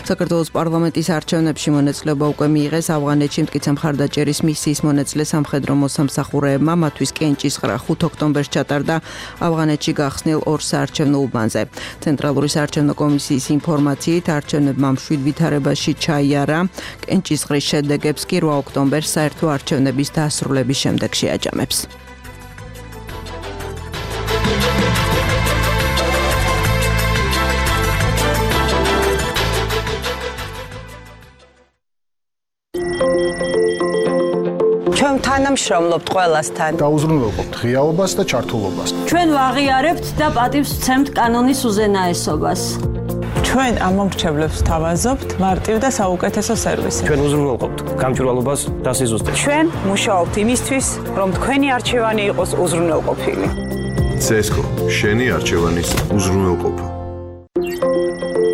საქართველოს პარლამენტის არჩევნებში მონაწილეობა უკვე მიიღეს ავღანეთში მტკიცე მხარდაჭერის მისიის მონაწილე სამხედრო მოსამსახურეებმა, მათთვის კენჭისყრა 5 ოქტომბერს ჩატარდა ავღანეთში გახსნილ ორ საარჩევნო უბანზე. ცენტრალური საარჩევნო კომისიის ინფორმაციით, არჩევნებმა მშვიდ ვითარებაში ჩაიარა. კენჭისყრის შედეგებს კი 8 ოქტომბერს საერთო არჩევნების დასრულების შემდეგ შეაჯამებს. ჩვენ თანამშრომლობთ ყველასთან. დაუზრუნველყოფთ ღიაობას და ჩართულობას. ჩვენ ვაღიარებთ და პატივს ვცემთ კანონის უზენაესობას. ჩვენ ამომრჩევლებს თავაზობთ მარტივ და საუკეთესო სერვისი. ჩვენ უზრუნველყოფთ გამჭვირვალობას და სიზუსტეს. ჩვენ მუშაობთ იმისთვის, რომ თქვენი არჩევანი იყოს უზრუნველყოფილი. CESCO შენი არჩევანის უზრუნველყოფა.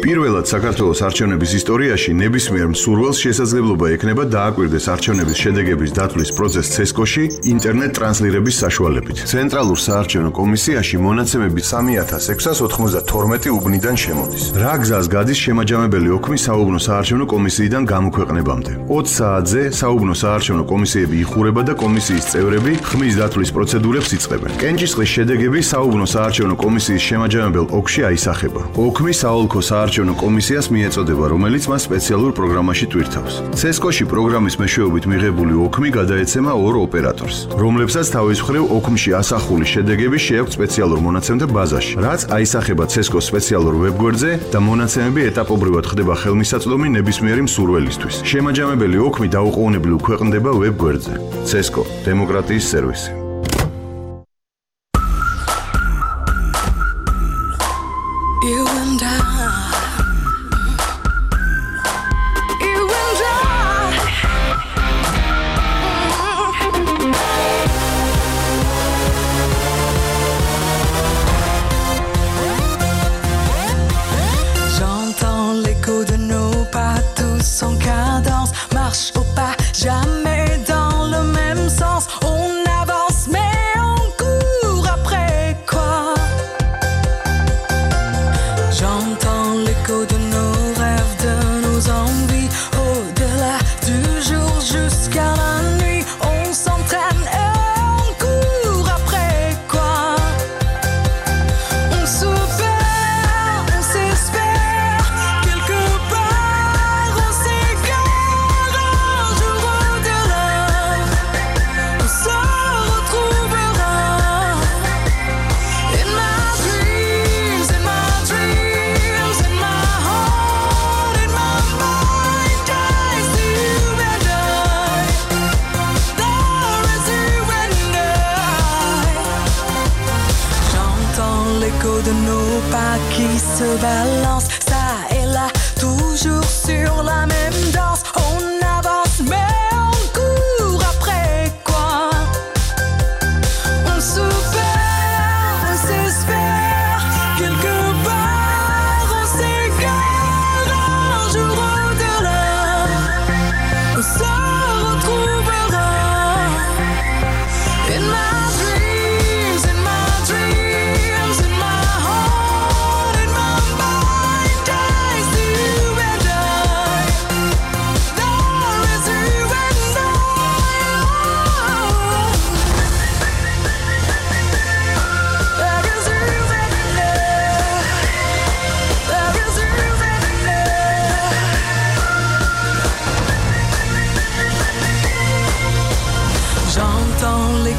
პირველად საქართველოს არჩევნების ისტორიაში ნებისმიერ მსურველს შესაძლებლობა ექნება დააკვირდეს არჩევნების შედეგების დათვლის პროცესს CESCO-ში ინტერნეტ ტრანსლირების საშუალებით. ცენტრალურ საარჩევნო კომისიაში მონაცემები 3692 უბნიდან შემოდის. რა გზას გადის შემაჯამებელი ოქმი საუბნო საარჩევნო კომისიიდან გამოქვეყნებამდე? 20 საათზე საუბნო საარჩევნო კომისიები იხურება და კომისიის წევრები ხმის დათვლის პროცედურებს იწყებენ. კენჭისყრის შედეგები საუბნო საარჩევნო კომისიის შემაჯამებელ ოკში აისახება. ოქმი საოლქო საარჩევნო კომისიას მიეწოდება, რომელიც მას სპეციალურ პროგრამაში ტვირთავს. CESCO-ში პროგრამის მეშვეობით მიღებული ოქმი გადაეცემა ორ ოპერატორს, რომლებსაც თავის მხრივ ოქმში ასახული შედეგები შეაქვთ სპეციალურ მონაცემთა ბაზაში, რაც აისახება CESCO-s სპეციალურ ვებგვერდზე და მონაცემები ეტაპობრივად ხდება ხელმისაწვდომი ნებისმიერი მსურველისთვის. შემაჯამებელი ოქმი დაუყოვნებლივ ქვეყნდება ვებგვერდზე. CESCO დემოკრატიის სერვისი.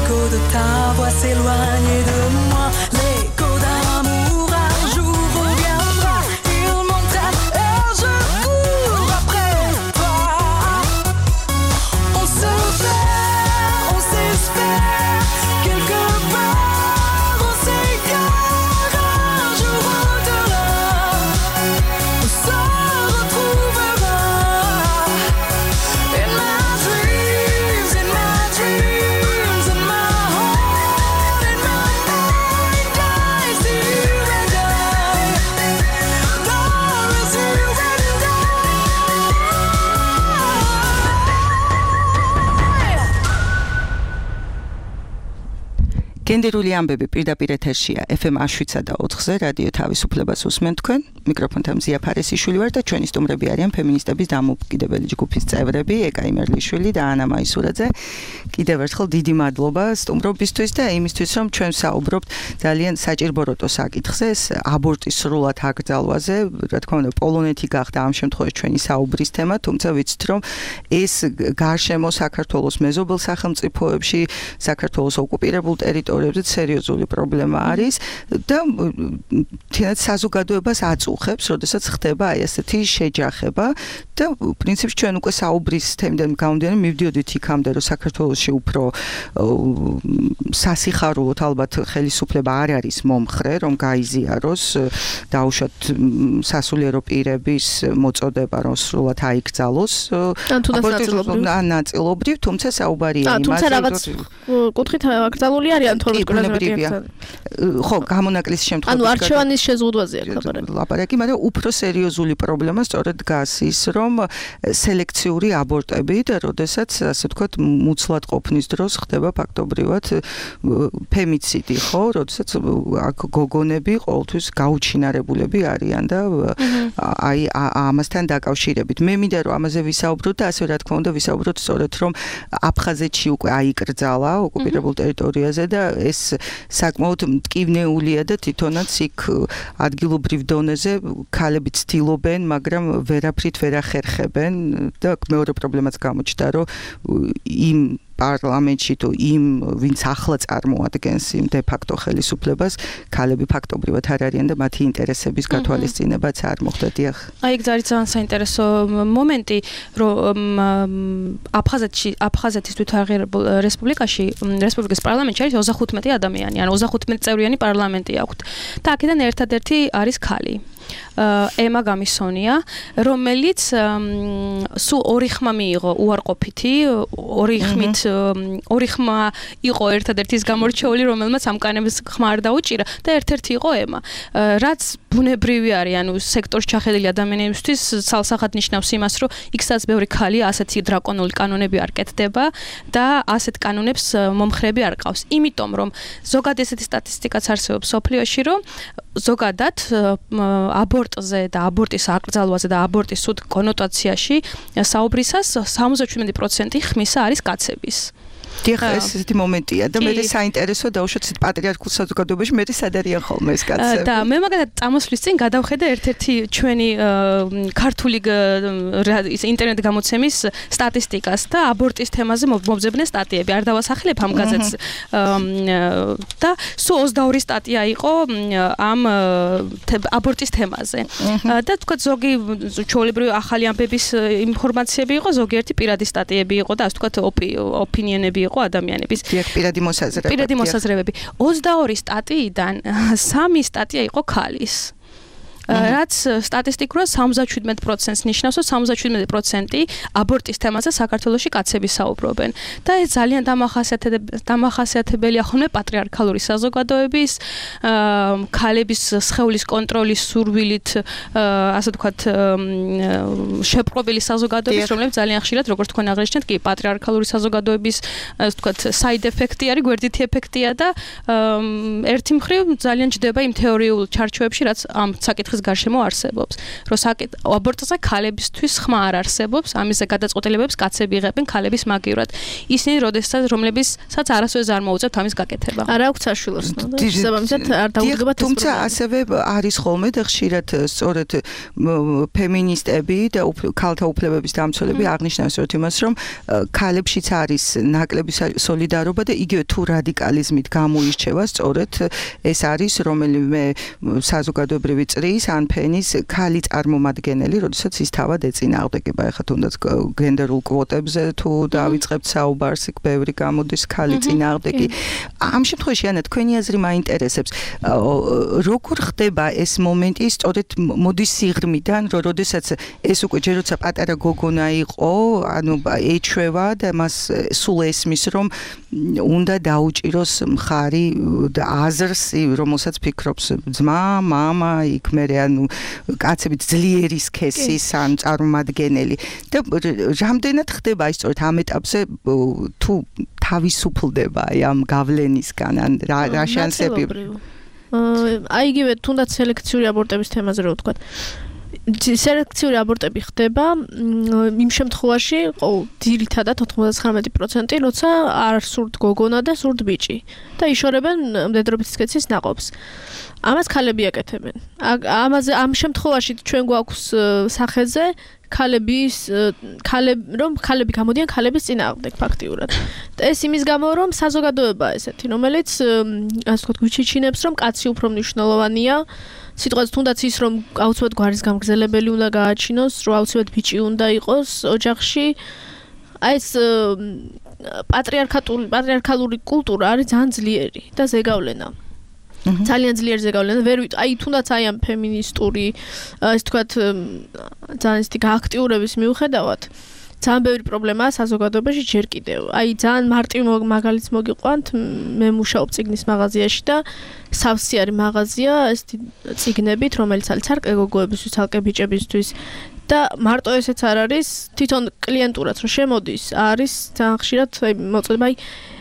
l'écho de ta voix s'éloigner de moi. L'écho d'un amour un jour reviendra. Il m'entraîne et je cours après toi. On se perd, on s'espère, quelque part on s'égare. Un jour au-delà, on se retrouvera. In my dreams, in my dreams, in my heart, in my mind, I see you and I. There is you and I. გენდერული ამბები პირდაპირ ეთერშია FM 107.4-ზე რადიო თავისუფლებას უსმენთ თქვენ მიკროფონთან მზია ფარესიშვილი ვარ და ჩვენი სტუმრები არიან ფემინისტების დამოუკიდებელი ჯგუფის წევრები ეკა იმერლიშვილი და ანა მაისურაძე. კიდევ ერთხელ დიდი მადლობა სტუმრობისთვის და იმისთვის რომ ჩვენ საუბრობთ ძალიან საჭირობროტო საკითხზე ეს აბორტის სრულად აკრძალვაზე რა თქმა უნდა პოლონეთი გახდა ამ შემთხვევაში ჩვენი საუბრის თემა თუმცა ვიცით რომ ეს გარშემო საქართველოს მეზობელ სახელმწიფოებში საქართველოს ოკუპირებულ ტერიტორიებზე სერიოზული პრობლემა არის და თინათ საზოგადოებას აწუხებს, როდესაც ხდება აი ესეთი შეჯახება და პრინციპში ჩვენ უკვე საუბრის თემიდან გამომდინარე მივდიოდით იქამდე რომ საქართველოში უფრო სასიხარულოდ ალბათ ხელისუფლება არ არის მომხრე რომ გაიზიაროს დაუშვათ სასულიერო პირების მოწოდება რომ სრულად აიკრძალოს ნაწილობრივ თუმცა საუბარია იმაზე თუმცა რაღაც კუთხით აკრძალული არიან ხო, გამონაკლის შემთხვევაში. ანუ არჩევანის შეზღუდვაზე აქ ლაპარაკი, მაგრამ უფრო სერიოზული პრობლემა სწორედ დგას ის, რომ სელექციური აბორტები და როდესაც, ასე ვთქვათ, მუცლად ყოფნის დროს ხდება ფაქტობრივად ფემიციდი, ხო, როდესაც აქ გოგონები ყოველთვის გაუჩინარებულები არიან და აი ამასთან დაკავშირებით. მე მინდა რომ ამაზე ვისაუბროთ და ასე რა თქმა უნდა ვისაუბროთ სწორედ რომ აფხაზეთში უკვე აიკრძალა ოკუპირებულ ტერიტორიაზე და ეს საკმაოდ მტკივნეულია და თვითონაც იქ ადგილობრივ დონეზე ქალები ცდილობენ, მაგრამ ვერაფრით ვერ ახერხებენ და მეორე პრობლემაც გამოჩნდა, რომ იმ პარლამენტში თუ იმ ვინც ახლა წარმოადგენს იმ დე-ფაქტო ხელისუფლებას ქალები ფაქტობრივად არ არიან და მათი ინტერესების გათვალისწინებაც არ მოხდა დიახ. აი ეს არის ძალიან საინტერესო მომენტი, რომ აფხაზეთის თვითაღირებულ რესპუბლიკის პარლამენტში არის 35 ადამიანი, ანუ 35 წევრიანი პარლამენტი აქვთ. და აქედან ერთადერთი არის ქალი. ემა გამისონია, რომელიც სულ ორი ხმა მიიღო უარყოფითი, ორი ხმა იყო ერთადერთი ის გამორჩეული, რომელმაც ამ კანების ხმა არ დაუჭირა და ერთ-ერთი იყო ემა. რაც ბუნებრივი არის, ანუ სექტორში ჩახედილი ადამიანებისთვის ცალსახად ნიშნავს იმას, რომ იქ სადაც ბევრი ქალია, ასეთი დრაკონული კანონები არ კეთდება და ასეთ კანონებს მომხრები არ ყავს. იმიტომ რომ ზოგადად ესეთი სტატისტიკაც არსებობს სოფლიოში, რომ ზოგადად აბორტზე და აბორტის აკრძალვაზე და აბორტის სრულ კონოტაციაში საუბრისას 77% ხმისა არის კაცების. დიახ, ესეთი მომენტია და მე საინტერესო დაუშვათ პატრიარქულ საზოგადოებაში მე სად არიან ხოლმე ეს კაცები. და მე მაგალითად წამოსვლის წინ გადავხედე ერთ-ერთი ჩვენი ქართული ინტერნეტ გამოცემის სტატისტიკას და აბორტის თემაზე მომძებნე სტატიები. არ დავასახელებ ამ გაზეთს. და სულ 22 სტატია იყო ამ აბორტის თემაზე. და თქვა ზოგი ჩვეულებრივი ახალი ამბების ინფორმაციები იყო, ზოგიერთი პირადი სტატიები იყო და ასე თქვა ოპინიონები იყო ადამიანების. პირადი მოსაზრებები. 22 სტატიიდან 3 სტატია იყო ქალის. რაც სტატისტიკურად 77%-ს ნიშნავს, რომ 77% აბორტის თემაზე საქართველოში კაცები საუბრობენ. და ეს ძალიან დამახასიათებელია ხოლმე პატრიარქალური საზოგადოების, ქალების სხეულის კონტროლის სურვილით, ასე ვთქვათ, შეპყრობილი საზოგადოების, რომლებიც ძალიან ხშირად, როგორც თქვენ აღნიშნეთ, კი პატრიარქალური საზოგადოების, ასე ვთქვათ, side effect-ი არის, გვერდითი ეფექტია და ერთი მხრივ ძალიან ჯდება იმ თეორიულ ჩარჩოებში, რაც ამ საკითხის აბორტის გარშემო არსებობს. რომ აბორტზე ქალებისთვის ხმა არ არსებობს, ამის გადაწყვეტილებებს კაცები იღებენ ქალების მაგივრად. ისინი რომლებისაც არასოდეს არ მოუწევთ ამის გაკეთება. არა აქვს საშვილოს, შესაბამისად არ დაუდგებათ ეს თუმცა ასევე არის ხოლმე და ხშირად სწორედ ფემინისტები და ქალთა უფლებების დამცველები აღნიშნავს სწორედ იმას, რომ ქალებშიც არის ნაკლები სოლიდარობა და იგივე თუ რადიკალიზმით გამოირჩევა სწორედ ეს არის რომელიმე საზოგადოებრივი წრის ან ფენის ქალი წარმომადგენელი, როდესაც ის თავად ეწინააღმდეგება. ეხლა თუნდაც გენდერულ კვოტებზე თუ დავიწყებთ საუბარს, იქ ბევრი გამოდის ქალი წინააღმდეგი. ამ შემთხვევაში ანა თქვენი აზრი მაინტერესებს. როგორ ხდება ეს მომენტი სწორედ მოდის სიღრმიდან, რომ როდესაც ეს უკვე ჯერ როცა პატარა გოგონა იყო, ანუ ეჩვევა და მას სულ ესმის, რომ უნდა დაუჭიროს მხარი და აზრს, რომელსაც ფიქრობს ძმა, მამა, იქ მერე ანუ კაცებით ძლიერის სქესის ან წარმომადგენელი. და რამდენად ხდება ის სწორედ ამ ეტაპზე თუ თავისუფლდება ამ გავლენისგან ან რა შანსები? აი იგივე თუნდაც სელექციური აბორტების თემაზე რო ვთქვა. სელექციური აბორტები ხდება იმ შემთხვევაში, ძირითადად 99%, როცა არ სურთ გოგონა და სურთ ბიჭი და იშორებენ მდედრობის სქესის ნაყოფს. ამას ქალები აკეთებენ. ამ შემთხვევაში ჩვენ გვაქვს სახეზე რომ ქალები გამოდიან ქალების წინააღმდეგ ფაქტიურად. ეს იმის გამო რომ საზოგადოებაა ესეთი, რომელიც ასე ვთქვათ, გვიჩიჩინებს, რომ კაცი უფრო მნიშვნელოვანია. სიტყვაზე თუნდაც ის რომ აუცილებლად გვარის გამგზელებელი უნდა გააჩინოს, რომ აუცილებლად ბიჭი უნდა იყოს ოჯახში. აი ეს პატრიარქალური კულტურა არის ძალიან ძლიერი და ზეგავლენა. ძალიან ძლიერი ზეგავლენა. აი თუნდაც აი ამ ფემინისტური ასე ვთქვათ ძალიან ისეთი გააქტიურების მიუხედავად ძალიან ბევრი პრობლემაა საზოგადოებაში ჯერ კიდევ. აი ძალიან მარტივ მაგალითს მოგიყვანთ, მე მუშაობ წიგნის მაღაზიაში და სავსე არის მაღაზია ესეთი წიგნებით, რომელიც არის ცალკე გოგოებისთვის, ცალკე ბიჭებისთვის და მარტო ესეც არ არის, თვითონ კლიენტურაც რომ შემოდის, არის ძალიან ხშირად მოწოდება აი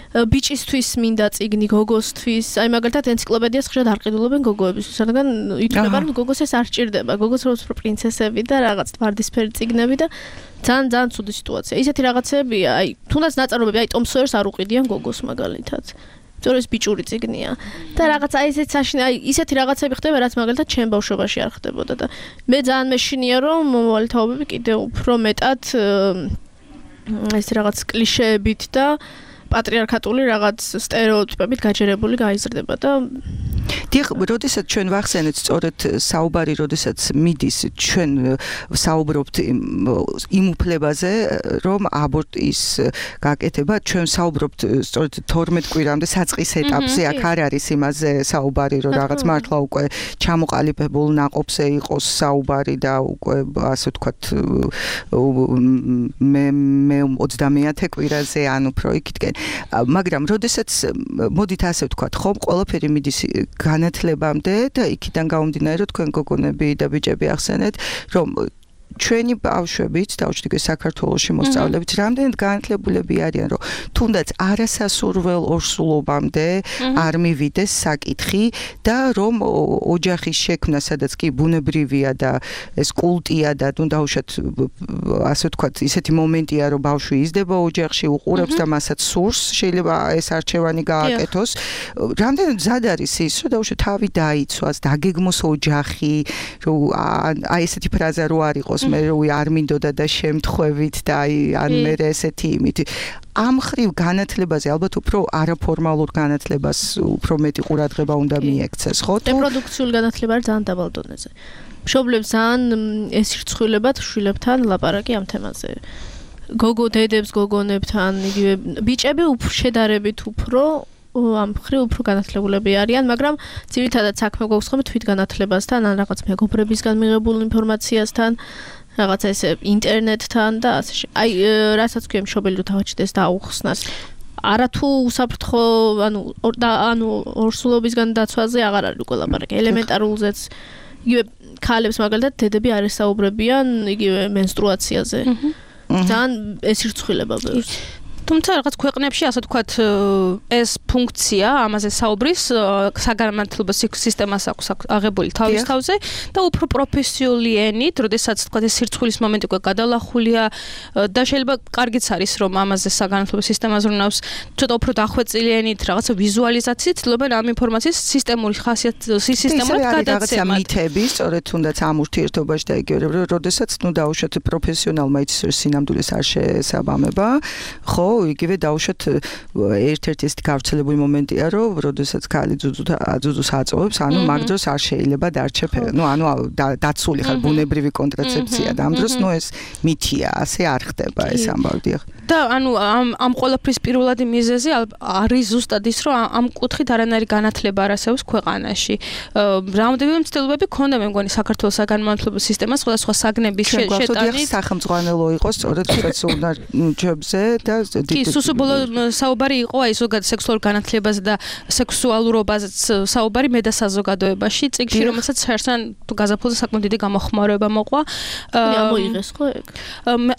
ბიჭისთვის მინდა წიგნი გოგოსთვის, აი მაგალითად ენციკლოპედიას ხშირად არ ყიდულობენ გოგოებისთვის, რადგან ითვლება რომ გოგოს ეს არ სჭირდება, გოგოს რო პრინცესები და რაღაც ვარდისფერი წიგნები და ძალიან ცუდი სიტუაცია. ისეთი რაღაცებია, აი თუნდაც ნაწარმოები, აი ტომ სოიერს არ უყიდიან გოგოს მაგალითად. სწორედ ეს ბიჭური წიგნია და რაღაც აი ესეთ საშინე, აი ისეთი რაღაცები ხდება, რაც მაგალითად ჩემ ბავშვობაში არ ხდებოდა და მე ძალიან მეშინია რომ მომავალი თაობები კიდევ უფრო მეტად ეს რაღაც კლიშეებით და პატრიარქატული რაღაც სტერეოტიპებით გაჯერებული გაიზრდება და დიახ, როდესაც ჩვენ ვახსენეთ სწორედ საუბარი, როდესაც მიდის ჩვენ საუბრობთ იმ უფლებაზე, რომ აბორტის გაკეთება, ჩვენ საუბრობთ სწორედ 12 კვირამდე საწყის ეტაპზე, აქ არ არის იმაზე საუბარი, რომ რაღაც მართლა უკვე ჩამოყალიბებულ ნაყოფზე იყოს საუბარი და უკვე ასე ვთქვათ მე 30 კვირაზე ან უფრო იქითკენ. მაგრამ როდესაც მოდით ასე ვთქვათ, ხომ ყველაფერი მიდის განათლებამდე და იქიდან გამომდინარე, რომ თქვენ გოგონები და ბიჭები ახსენეთ, რომ ჩვენი ბავშვებიც დაუშვით საქართველოში მოსწავლეებით რამდენად განათლებულები არიან, რომ თუნდაც არასასურველ ორსულობამდე არ მივიდეს საკითხი და რომ ოჯახის შექმნა, სადაც კი ბუნებრივია და ეს კულტია და ნუ დაუშვით ასე ვთქვათ, ისეთი მომენტია, რომ ბავშვი იზრდება ოჯახში, უყურებს და მასაც სურს, შეიძლება ეს არჩევანი გააკეთოს. რამდენად მზად არის ის, რომ დაუშვით თავი დაიცვას, დაგეგმოს ოჯახი, რომ აი ესეთი ფრაზა რო არ იყოს მე როი არ მინდოდა და შემთხვევით და ან მე ესეთი იმით ამ ხრივ განათლებაზე ალბათ უფრო არაფორმალურ განათლებას უფრო მეტი ყურადღება უნდა მიექცეს, ხო? რეპროდუქციული განათლება არის ძალიან დაბალ დონეზე. მშობლებს ძალიან ესირცხვილებათ შვილებთან ლაპარაკი ამ თემაზე. გოგო დედებს, გოგონებთან, იგივე ბიჭები შედარებით უფრო ამ ხრივ უფრო განათლებულები არიან, მაგრამ ძირითადად საქმე გვაქვს ხოლმე თვითგანათლებასთან, ან რაღაც მეგობრებისგან მიღებულ ინფორმაციასთან, რაღაც ესე ინტერნეტთან და ასე. აი, რასაც ქვია მშობელი რო თავაჩდეს და აუხსნას. არათუ უსაფრთხო, ანუ ორსულობისგან დაცვაზე აღარ არის უკვე ლაპარაკი. ელემენტარულზეც იგივე ქალებს მაგალითად დედები არ ესაუბრებიან იგივე მენსტრუაციაზე. ძალიან ესირცხვილება ბევრს. თუმცა რაღაც ქვეყნებში ასე ვთქვათ ეს ფუნქცია ამაზე საუბრის საგანმანათლებლო სისტემას აქვს აღებული თავის თავზე და უფრო პროფესიული ენით, როდესაც ვთქვათ ეს სირცხვილის მომენტი უკვე გადალახულია და შეიძლება კარგიც არის რომ ამაზე საგანმანათლებლო სისტემა ზრუნავს ცოტა უფრო დახვეწილი ენით რაღაცა ვიზუალიზაციით ცდილობენ ამ ინფორმაციის სისტემური სისტემურად გადაცემად. მითები, სწორედ თუნდაც ამ ურთიერთობაში და იგივე როდესაც დაუშვათ პროფესიონალმა იცის რომ სინამდვილეს არ შეესაბამება, ხო, იგივე დაუშვათ ერთ-ერთი ეს გავრცელებული მომენტია, რომ როდესაც ქალი ძუძუს აწოვებს, ანუ მაგ დროს არ შეიძლება დარჩე ანუ დაცული ხარ ბუნებრივი კონტრაცეფცია და ამ დროს ეს მითია, ასე არ ხდება ეს ამბავი. და ანუ ამ ყველაფრის პირველადი მიზეზი არის ზუსტად ის, რომ ამ კუთხით არანაირი განათლება არ არსებობს ქვეყანაში. რამდენიმე მცდელობები ქონდა მე მგონი საქართველოს საგანმანათლებლო სისტემას სხვადასხვა საგნების შეტანით სახელმწიფო იყოს სწორედ სექსუალურობაზე და კი სუსუბოლო საუბარი იყო აი ზოგადად სექსუალურ განათლებაზე და სექსუალურობაზე საუბარი მე და საზოგადოებაში წიგნში რომელსაც ხერსან გაზაფხულზე საკმაოდ დიდი გამოხმაურება მოყვა ამოიღეს ხო ეგ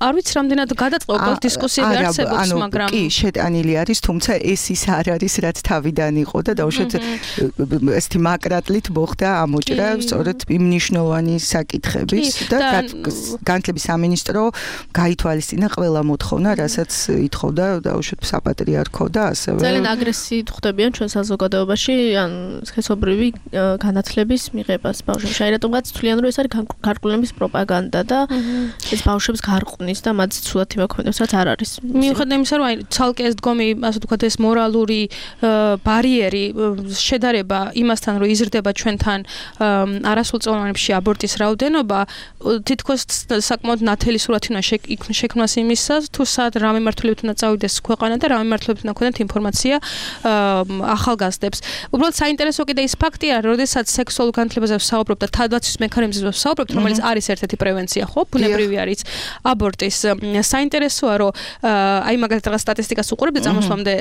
არ ვიცი რამდენად გადაწყობა დისკუსიები არსებობს მაგრამ კი შეტანილი არის თუმცა ეს ის არ არის რაც თავიდან იყო და დაუშვათ ესეთი მაკრატლით მოხდა ამოჭრა სწორედ იმ მნიშვნელოვანი საკითხების და განათლების სამინისტრო გაითვალისწინა ყველა მოთხოვნა რასაც ითხოვდა დაუშვათ საპატრიარქო და ასევე ძალიან აგრესიით ხვდებიან ჩვენ საზოგადოებაში ან სქესობრივი განათლების მიღებას ბავშვებში აი რატომღაც თვლიან რომ ეს არის გარკვეულების პროპაგანდა და ეს ბავშვებს გარყვნის და მათ ცუდად იმოქმედებს რაც არ არის მიუხედავად იმისა რომ აი ცალკე ეს დგომი ასე ვთქვათ ეს მორალური ბარიერი შედარება იმასთან რომ იზრდება ჩვენთან არასრულწლოვანებში აბორტის რაოდენობა თითქოს საკმაოდ ნათელი სურათი უნდა შექმნას იმისას თუ სად რა მიმართულებით უნდა წავიდეს ქვეყანა და რა მიმართულებით უნდა ქონდეთ ინფორმაცია ახალგაზრდებს. უბრალოდ საინტერესო კიდე ის ფაქტია, როდესაც სექსუალურ განათლებაზე ვსაუბრობ და თავდაცვის მექანიზმებზე ვსაუბრობ, რომელიც არის ერთ-ერთი პრევენცია, ხო? ბუნებრივი არის აბორტის. საინტერესოა, რომ აი მაგალითად რაღაც სტატისტიკას უყურებ და წამოსვლამდე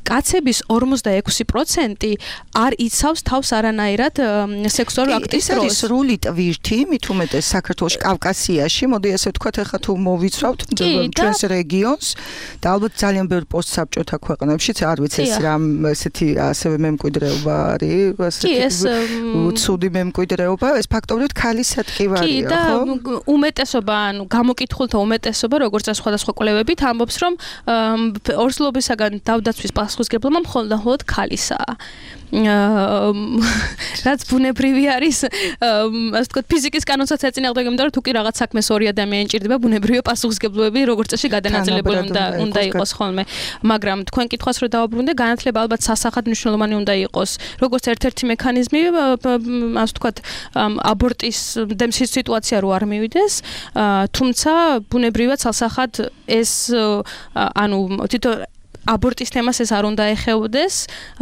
კაცების 46% არ იცავს თავს არანაირად სექსუალურ აქტის დროს. ეს სრული ტვირთი, მით უმეტეს საქართველოს კავკასიაში, მოდი ასე ვთქვათ, ახლა თუ მოვიცვავთ ჩვენს რეგიონს და ალბათ ძალიან ბევრ პოსტსაბჭოთა ქვეყნებშიც არ ვიცი ეს რამ ესეთი ასევე მემკვიდრეობა არის, ასეთი ცუდი მემკვიდრეობა, ეს ფაქტობრივად ქალის სატკივარია, ხო? კი და უმეტესობა, ანუ გამოკითხულთა უმეტესობა, როგორც სხვადასხვა კვლევებით ამბობს, რომ ორსულობისაგან თავდაცვის პასუხისმგებლობა მხოლოდ ქალისაა. რაც ბუნებრივი არის, ასე ვთქვათ, ფიზიკის კანონსაც ეწინააღმდეგება, იმიტომ რომ თუ კი რაღაც საქმეს ორი ადამიანი ჭირდება, ბუნებრივია პასუხისმგებლობები როგორც წესი გადანაწილებული უნდა იყოს ხოლმე. მაგრამ თქვენ კითხვას რო დავაბრუნდე, განათლება ალბათ სასახად მნიშვნელოვანი უნდა იყოს, როგორც ერთ-ერთი მექანიზმი, ასე ვთქვათ, აბორტის დემსის სიტუაცია რო არ მივიდეს, თუმცა ბუნებრივია სასახად ეს ანუ თვითონ აბორტის თემას ეს არ უნდა ეხებოდეს,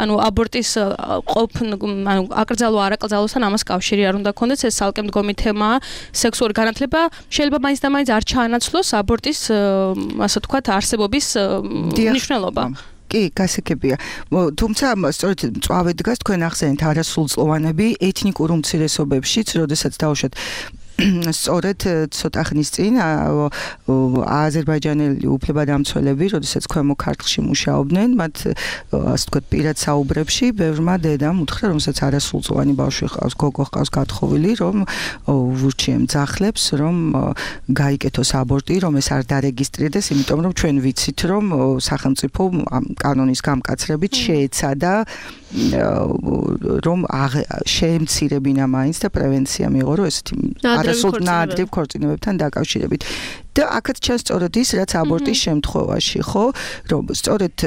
ანუ აბორტის ანუ აკრძალვა არაკრძალვასთან ამას კავშირი არ უნდა ქონდეს, ეს ცალკე მდგომი თემაა. სექსუალური განათლება შეიძლება მაინც და მაინც არ ჩაანაცვლოს აბორტის ასე ვთქვათ არსებობის მნიშვნელობა. კი, გასაგებია. თუმცა სწორედ მწვავე დგას თქვენ ახსენეთ არასრულწლოვანები ეთნიკურ უმცირესობებშიც, როდესაც დავუშვათ სწორედ ცოტა ხნის წინ აზერბაიჯანელი უფლებადამცველები, როდესაც ქვემო ქართლში მუშაობდნენ, მათ ასე ვთქვათ პირად საუბრებში ბევრმა დედამ უთხრა, რომელსაც არასრულწლოვანი ბავშვი ჰყავს, გოგო ჰყავს გათხოვილი, რომ ურჩიემ ძახლებს, რომ გაიკეთოს აბორტი, რომ ეს არ დარეგისტრირდეს, იმიტომ რომ ჩვენ ვიცით, რომ სახელმწიფო კანონის გამკაცრებით შეეცადა რომ შეემცირებინა მაინც და პრევენცია მიიღო, რომ ესეთი არასრულნაადრევ ქორწინებებთან დაკავშირებით. და აქაც ჩანს სწორედ ის, რაც აბორტის შემთხვევაში, ხო, რომ სწორედ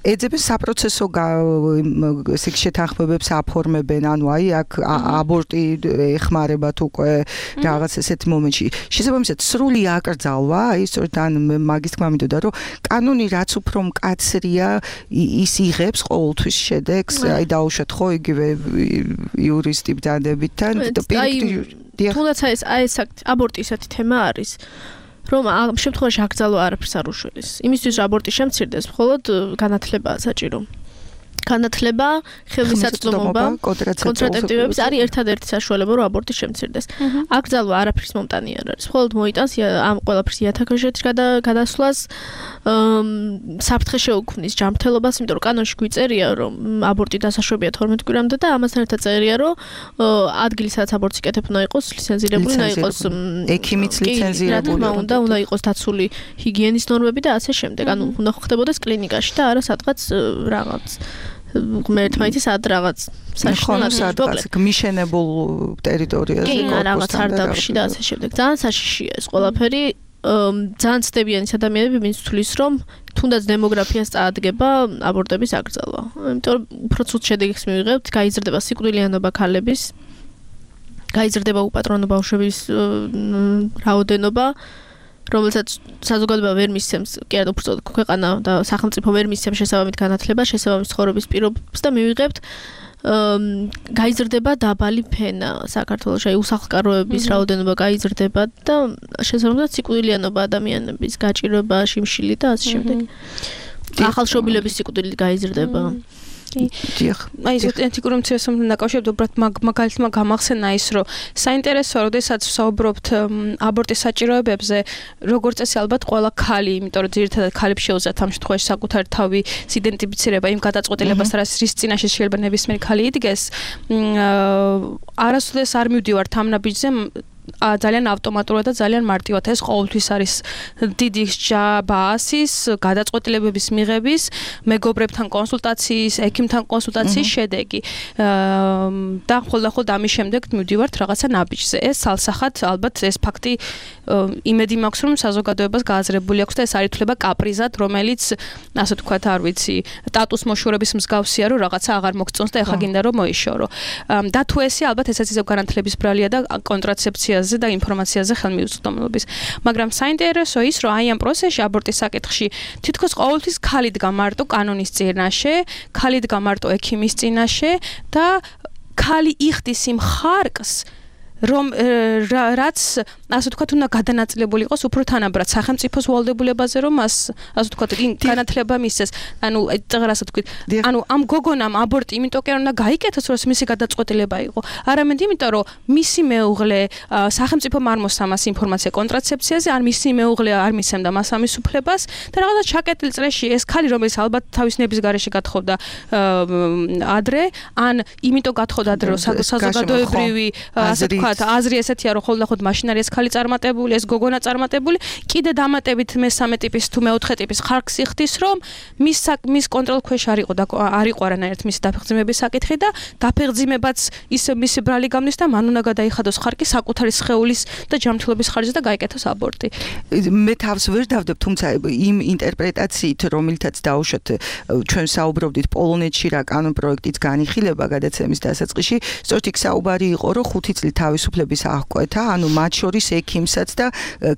ეძებენ საპროცესო ესე შეთანხმებებს აფორმებენ, ანუ აი აქ აბორტი ეხმარებათ უკვე რაღაც ესეთ მომენტში. შესაბამისად, სრული აკრძალვა, აი სწორედ ან მაგის თქმა მინდოდა, რომ კანონი რაც უფრო მკაცრია, ის იღებს ყოველთვის შედეგს, აი დაუშვათ ხო იგივე იურისტი ბრძანდებიდან და თუნდაც ეს აბორტი ისეთი თემა არის, რომ ამ შემთხვევაში აკრძალვა არაფერს არ უშველის. იმისთვის აბორტი შემცირდეს, მხოლოდ განათლებაა საჭირო. განათლება, ხელმისაწვდომობა, კონტრაცეპტივების არის ერთადერთი საშუალება, რომ აბორტი შემცირდეს. აკრძალვა არაფრის მომტანი არ არის. მხოლოდ მოიტანს ამ ყველაფრის იათაკაშეთში გადასვლას, საფრთხე შეუქმნის ჯანმრთელობას, იმიტომ რომ კანონში გვიწერია, რომ აბორტი დასაშვებია 12 კვირამდე და ამასთან ერთად წერია, რომ ადგილი სადაც აბორტს იკეთებ უნდა იყოს ლიცენზირებული, უნდა იყოს ექიმიც ლიცენზირებული, უნდა იყოს დაცული ჰიგიენის ნორმები და ასე შემდეგ. ანუ უნდა ხდებოდეს კლინიკაში და არა სადღაც რაღაც ღმერთმაითის ად რაღაც საშუალებას მიშენებულ ტერიტორიაზე რაღაც სარდაფში და ასე შემდეგ. ძალიან საშიშია ეს ყველაფერი. ძალიან ცდებიანი ადამიანები ვინც თulis რომ თუნდაც დემოგრაფიას წაადგება აბორტების აკრძალვა. იმიტომ რომ უფრო ცუდ შედეგს მივიღებთ, გაიზრდება სიკვდილიანობა ქალების, გაიზრდება უპატრონო ბავშვების რაოდენობა, რომელსაც საზოგადოება ვერ მისცემს, კი არა უბრალოდ ქვეყანა და სახელმწიფო ვერ მისცემს შესაბამით განათლებას, შესაბამის ცხოვრების პირობებს და მივიღებთ გაიზრდება დაბალი ფენა საქართველოში, აი უსახლკაროების რაოდენობა გაიზრდება და შესაბამისად სიკვდილიანობა ადამიანების გაჭირვება, შიმშილი და ასე შემდეგ. ახალშობილების სიკვდილი გაიზრდება. აი ეს ეთიკური უმცირესობთან დაკავშირებით უბრალოდ მაგალითმა გამახსენა ის, რომ საინტერესოა, როდესაც ვსაუბრობთ აბორტის საჭიროებებზე, როგორც წესი ალბათ ყველა ქალი, იმიტომ რომ ძირითადად ქალებს შეუძლიათ ამ შემთხვევაში საკუთარი თავის იდენტიფიცირება იმ გადაწყვეტილებას, რის წინაშე შეიძლება ნებისმიერი ქალი იდგეს, არასოდეს არ მივდივართ ამ ნაბიჯზე ძალიან ავტომატურად და ძალიან მარტივად ეს ყოველთვის არის დიდი ბაზის გადაწყვეტილებების მიღების, მეგობრებთან კონსულტაციის, ექიმთან კონსულტაციის შედეგი. და ხოლმე ამის შემდეგ მივდივართ რაღაცა ნაბიჯზე. ეს სალსახად ალბათ ეს ფაქტი იმედი მაქვს, რომ საზოგადოებას გააზრებული აქვს და ეს არ ითვლება კაპრიზად, რომელიც ასე ვთქვათ, არ ვიცი, სტატუს მოშორების მსგავსია, რომ რაღაცა აღარ მოგწონს და ეხლა გინდა რომ მოიშორო. და თუ ესე ალბათ ესაც ისევ განათლების ბრალია და კონტრაცეფცია და ინფორმაციაზე ხელმისაწვდომობის. მაგრამ საინტერესო ის, რომ აი ამ პროცესში აბორტის საკითხში თითქოს ყოველთვის ქალი დგა მარტო კანონის წინაშე, ქალი დგა მარტო ექიმის წინაშე და ქალი იხდის იმ ხარკს, რომ რაც ასე ვთქვათ, უნდა გადანაწილებული იყოს უფრო თანაბრად სახელმწიფოს ვალდებულებაზე, რომ მას ასე ვთქვათ, განათლება მისცეს. ანუ ასე ვთქვით, ანუ ამ გოგონამ აბორტი იმიტომ კი არ უნდა გაიკეთოს, რომ მისი გადაწყვეტილება იყო. არამედ იმიტომ, რომ მისი მეუღლე სახელმწიფომ არ მოსამას ინფორმაცია კონტრაცეფციაზე, ან მისი მეუღლე არ მისცემდა მას ამის უფლებას და რაღაცა ჩაკეტილ წრეში ეს ქალი, რომელიც ალბათ თავის ნების გარეშე გათხოვდა ადრე, ან იმიტომ გათხოვდა ადრე, რომ საზოგადოებრივი ასე ვთქვათ, აზრი ესეთია, რომ ხოლმე მაშინ არის ეს ქალი წარმატებული, ეს გოგონა წარმატებული, კიდე დამატებით მესამე ტიპის თუ მეოთხე ტიპის ხარკს იხდის, რომ მის კონტროლ ქვეშ არ იყო არანაირად მისი დაფეხმძიმების საკითხი და დაფეხმძიმებაც ის მისი ბრალი გამნის და მან უნდა გადაიხადოს ხარკი საკუთარი სხეულის და ჯანმრთელობის ხარჯზე და გაიკეთოს აბორტი. მე თავს ვერ დავდებ, თუმცა იმ ინტერპრეტაციით, რომელთაც დაუშვათ ჩვენ საუბრობდით პოლონეთში რა კანონ პროექტიც განიხილება გადაცემის დასაწყისში, სწორედ იქ საუბარი იყო, რომ 5 წლით თავისუფლების აღკვეთა, ანუ მათ შორის ექიმსაც და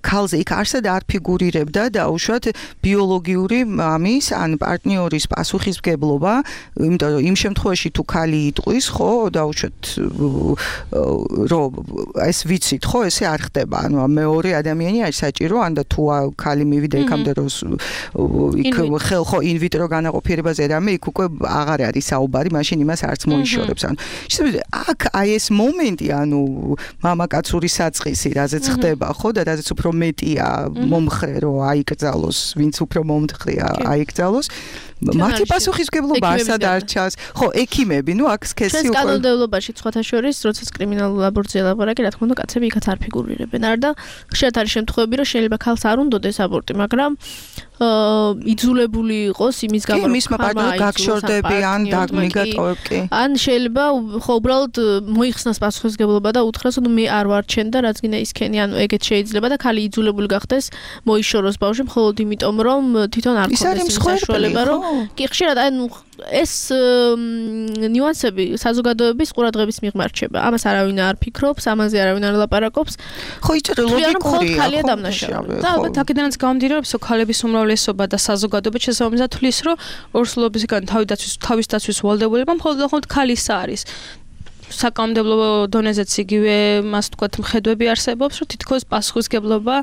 ქალზე იქ არსად არ ფიგურირებდა დაუშვათ ბიოლოგიური მამის ან პარტნიორის პასუხისმგებლობა, იმიტომ რომ იმ შემთხვევაში თუ ქალი იტყვის, ხო, დაუშვათ რომ ეს ვიცით, ხო, ესე არ ხდება. ანუ მეორე ადამიანი არის საჭირო, ან და თუ ქალი მივიდა იქამდე რომ იქ ხელ ხო ინვიტრო განაყოფიერებაზე რამე იქ უკვე აღარ არის საუბარი, მაშინ იმას არც მოიშორებს. ანუ აქ აი ეს მომენტი, ანუ მამაკაცური საწყისი, რაზეც ხდება, ხო, და რაზეც უფრო მეტია მომხრე, რომ აიკრძალოს, ვინც უფრო მომხრეა აიკრძალოს. მათი პასუხისმგებლობა არსად არ ჩანს. ხო, ექიმები, ნუ აქ სქესი უკვე კანონმდებლობაში სხვათა შორის, როდესაც კრიმინალურ აბორტზე ლაპარაკი, რა თქმა უნდა, კაცები იქაც არ ფიგურირებენ. არ და ხშირად არის შემთხვევები, რომ შეიძლება ქალს არ უნდოდეს აბორტი, მაგრამ იძულებული იყოს იმის გამო, რომ მისმა პარტნიორს გაგშორდებიან, დაგმიგატოვებკი. ან შეიძლება ხო უბრალოდ მოიხსნას პასუხისმგებლობა და უთხრას, რომ მე არ ვარჩენ და რაც გინდა ისქენი, ანუ ეგეც შეიძლება და ქალი იძულებული გახდეს მოიშოროს ბავშვი მხოლოდ იმიტომ, რომ თვითონ არ ქონდეს საშუალება, რომ კი ხშირად ანუ ეს ნიუანსები საზოგადოების ყურადღების მიღმა რჩება. ამას არავინ არ ფიქრობს, ამაზე არავინ არ ლაპარაკობს. ხო, იცით ლოგიკურია. ქალია დამნაშავე. და ალბათ აქედანაც გამომდინარეობს, რომ ქალების უმრავლესობა და საზოგადოება შესაბამისად თვლის, რომ ორსულობისგან თავის დაცვის ვალდებულება მხოლოდ ქალის არის. საკანონმდებლო დონეზეც იგივე მას თქვათ მხედვები არსებობს, რომ თითქოს პასუხისგებლობა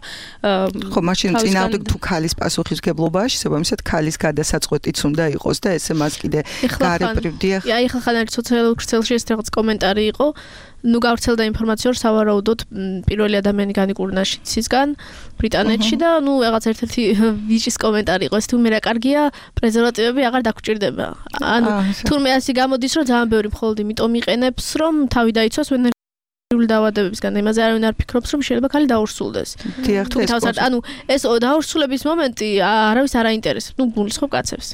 ხო, მაშინ წინააღმდეგ თუ ქალის პასუხისგებლობაა, შესაბამისად ქალის გადასაწყვეტიც უნდა იყოს და ესე მას კიდე გარებრივდია. აი, ხან არის სოციალურ ქსელში ეს რაღაც კომენტარი იყო. ნუ გავრცელდა ინფორმაცია, რომ სავარაუდოდ პირველი ადამიანი განიკურნა შიცისგან ბრიტანეთში და ნუ რაღაც ერთ-ერთი ვიჭის კომენტარი იყო, ეს თუ მე რა კარგია, პრეზერვატივები აღარ დაგჭირდება. ანუ თურმე ასე გამოდის, რომ ძალიან ბევრი მხოლოდ იმიტომ იყენებს, რომ თავი დაიცვას ვენერული დაავადებებისგან. იმაზე არავინ არ ფიქრობს, რომ შეიძლება ქალი დაურსულდეს. ანუ ეს დაურსულების მომენტი არავის არ აინტერესებს. ნუ გულისხმობ კაცებს.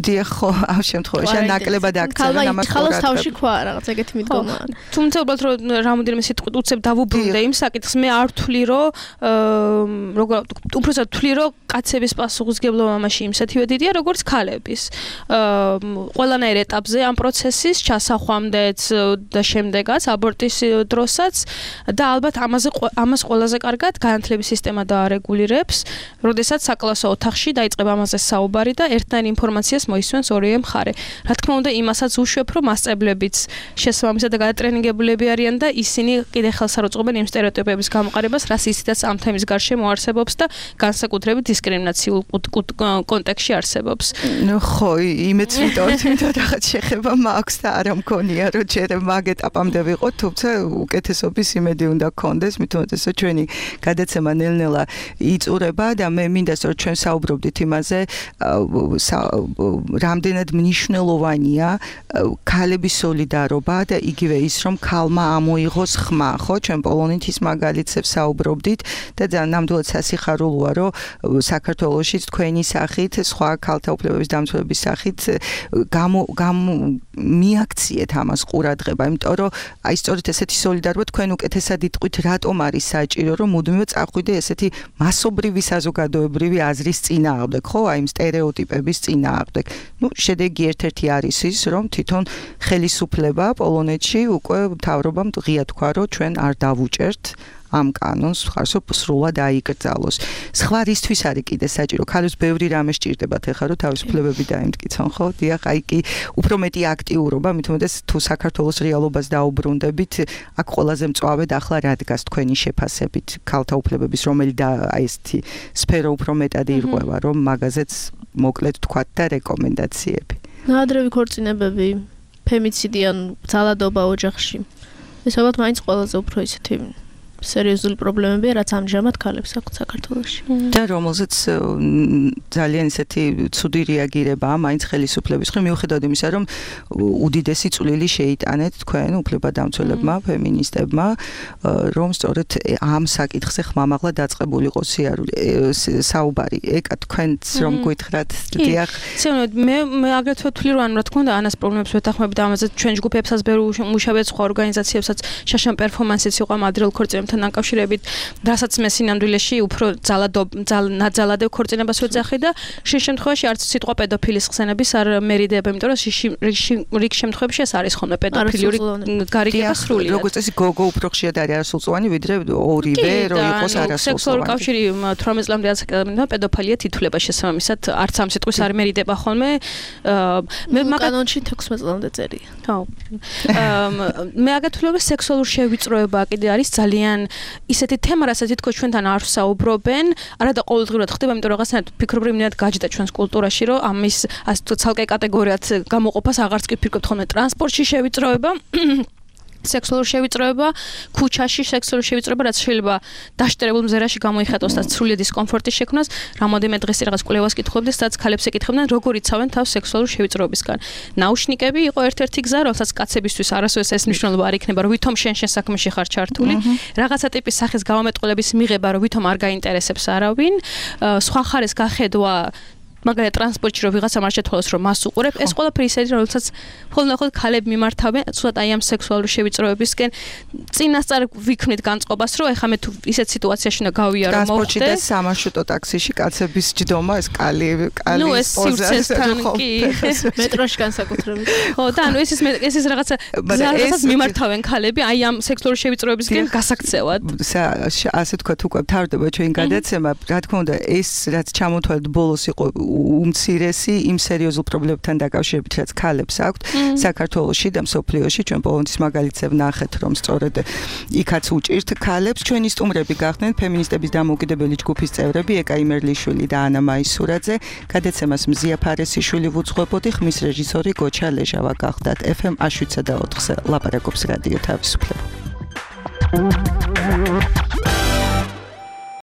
დიახ, ხო, ამ შემთხვევაში ნაკლებად აქცევენ ამას ყურადღება. ხალხს თავში ხვა რაღაც ეგეთი მიდგომა. თუმცა უბრალოდ რომ რამოდენიმე სიტყვით უცებ დავუბრუნდე იმ საკითხს, მე არ ვთვლი, რომ უბრალოდ ვთვლი, რომ კაცების პასუხისგებლობა მაშინ იმსათივე დიდია, როგორც ქალების. ყველანაირ ეტაპზე ამ პროცესის ჩასახვამდეც და შემდეგაც აბორტის დროსაც და ალბათ ამას ყველაზე კარგად განათლების სისტემა დაარეგულირებს, როდესაც საკლასო ოთახში დაიწყება ამაზე საუბარი და ერთნაირ ინფორმაციას მოისვენს ორივე მხარე. რა თქმა უნდა, იმასაც უშვებ, რომ მასწავლებლებიც შესაბამისად და გადატრენინგებულები არიან და ისინი კიდე ხელს არ უწყობენ იმ სტერეოტიპების გამოყენებას, რაც ისედაც ამ თემის გარშემო არსებობს და განსაკუთრებით დისკრიმინაციულ კონტექსტში არსებობს. ხო, იმეც ვიტყვით რაღაც შეხება მაქვს და არ მგონია, რომ ჯერ მაგ ეტაპამდე ვიყოთ, თუმცა უკეთესობის იმედი უნდა გქონდეს, მithumetes ჩვენი გადაცემა ნელ-ნელა იწურება და მე მინდა რომ ჩვენ საუბრობდით იმაზე, რამდენად მნიშვნელოვანია ქალების სოლიდარობა და იგივე ის, რომ ქალმა ამოიღოს ხმა, ხო, ჩვენ პოლონეთის მაგალითებს საუბრობდით და ნამდვილად სასიხარულოა, რომ საქართველოში თქვენი სახით, სხვა ქალთა უფლებების დამცველების სახით მიაქციეთ ამას ყურადღება, იმიტომ რომ აი სწორედ ესეთი სოლიდარობა თქვენ უკეთესად იტყვით, რატომ არის საჭირო, რომ მუდმივად წახვიდე ესეთი მასობრივი საზოგადოებრივი აზრის წინააღმდეგ, ხო, აი იმ სტერეოტიპების წინააღმდეგ. ნუ შედეგი ერთ-ერთი არის ის, რომ თვითონ ხელისუფლება პოლონეთში უკვე მთავრობამ ღია თქვა, რომ ჩვენ არ დავუჭერთ ამ კანონს, ხარსო სრულად აიკრძალოს. სხვა რისთვის არის კიდე საჭირო? ქალებს ბევრი რამე სჭირდებათ ახლა, რომ თავისუფლებები დაემტკიცონ, ხო? დიახ, აი კი უფრო მეტი აქტიურობა, მithumetes თუ საქართველოს რეალობას დაუბრუნდებით, აქ ყველაზე მწვავედ ახლა რა დგას თქვენი შეფასებით ქალთა უფლებების, რომელი და აი ესეთი სფერო უფრო მეტად ირღვევა, რომ მაგაზეც მოკლედ თქვათ და რეკომენდაციები. ნაადრევი ქორწინებები, ფემიციდი ან ძალადობა ოჯახში. ეს ალბათ მაინც ყველაზე უფრო ისეთი სერიოზული პრობლემებია, რაც ამჟამად ქალებს აქვთ საქართველოში. და რომელზეც ძალიან ისეთი ცუდი რეაგირებაა მაინც ხელისუფლების მხრივ, მიუხედავად იმისა, რომ უდიდესი წვლილი შეიტანეთ თქვენ უფლებადამცველებმა, ფემინისტებმა, რომ სწორედ ამ საკითხზე ხმამაღლა დაწყებული იყო საუბარი. ეკა თქვენც რომ გითხრათ, დიახ. მე აგრეთვე ვთვლი, რომ რა თქმა უნდა, ანას პრობლემებს ვეთანხმებით და ამაზე ჩვენ ჯგუფებსაც ბევრი მუშაობთ, სხვა ორგანიზაციებსაც შაშან პერფორმანსიც იყო მადრელ ქორწინებასთან დაკავშირებით, რასაც მე სინამდვილეში უფრო ნაძალადებ ქორწინებას ვეძახი და შენ შემთხვევაში არც სიტყვა პედოფილის ხსენების არ მერიდდება, იმიტომ რომ რიგ შემთხვევებში ეს არის ხოლმე პედოფილიური გარიგება სრულად. როგორც წესი გოგო უფრო ხშირად არის არასრულწლოვანი, ვიდრე ორივე რომ იყოს არასრულწლოვანი. სექსუალური კავშირი 18 წლამდე ასაკობრივად პედოფილია თითულება შესაბამისად არც ამ სიტყვის არ მერიდდება ხოლმე. მე კანონში 16 წლამდე წერია. ხო. მე აგეთვლებ რომ სექსუალური შევიწროება კიდე არის ძალიან ისეთი თემა, რასაც თითქოს ჩვენთან არ საუბრობენ, არა და ყოველდღიურად ხდება, იმიტომ რომ რაღაცნაირად ფიქრობრივად გაჯდა ჩვენს კულტურაში, რომ ამის ასე თუ ცალკე კატეგორიად გამოყოფას აღარც კი ფიქრობთ ხოლმე ტრანსპორტში შევიწროება. სექსუალური შევიწროება, ქუჩაში სექსუალური შევიწროება, რაც შეიძლება დაშტერებულ მზერაში გამოიხატოს და სრული დისკომფორტის შექმნას. რამოდენიმე დღეს რაღაც კვლევას კითხულობდი, სადაც ქალებს ეკითხებდნენ, როგორ იცავენ თავს სექსუალური შევიწროებისგან. ნაუშნიკები იყო ერთ-ერთი გზა, რომელსაც კაცებისთვის არასოდეს ეს მნიშვნელობა არ იქნება, რომ ვითომ შენ საქმეში ხარ ჩართული. რაღაცა ტიპის სახის გამომეტყველების მიღება, რომ ვითომ არ გაინტერესებს არავინ. სხვა ხარეს გახედვა მაგალითად ტრანსპორტში რომ ვიღაცა არ შეთვალოს რომ მას უყურებ, ეს ყველაფერი ისეთი რომელსაც ხოლმე ქალები მიმართავენ, ცოტა აი ამ სექსუალური შევიწროებისკენ წინასწარ ვიქმნით განწყობას, რომ ეხლა მე თუ ისეთ სიტუაციაში უნდა გავიარო ტრანსპორტში და სამარშრუტო ტაქსიში კაცების ჯდომა, ეს კალი პოზასთან კი მეტროში განსაკუთრებით. ხო, და ანუ ეს ის რაღაცა გზასაც მიმართავენ ქალები აი ამ სექსუალური შევიწროებისკენ გასაქცევად. ასე თქვა თუ უკვე თავდება ჩვენ გადაცემა, რა თქმა უნდა, ეს რაც ჩამოთვალეთ ბოლოს იყო უმცირესი იმ სერიოზულ პრობლემებთან დაკავშირებით, რაც ქალებს აქვთ საქართველოში და მსოფლიოში. ჩვენ პოლონეთის მაგალითზე ვნახეთ, რომ სწორედ იქაც უჭირთ ქალებს. ჩვენი სტუმრები გახდნენ ფემინისტების დამოუკიდებელი ჯგუფის წევრები ეკა იმერლიშვილი და ანა მაისურაძე. გადაცემას მზია ფარესიშვილი ვუძღვებოდი, ხმის რეჟისორი გოჩა ლეჟავა გახდათ. FM 107.4-ზე ლაპარაკობს რადიო თავისუფლება.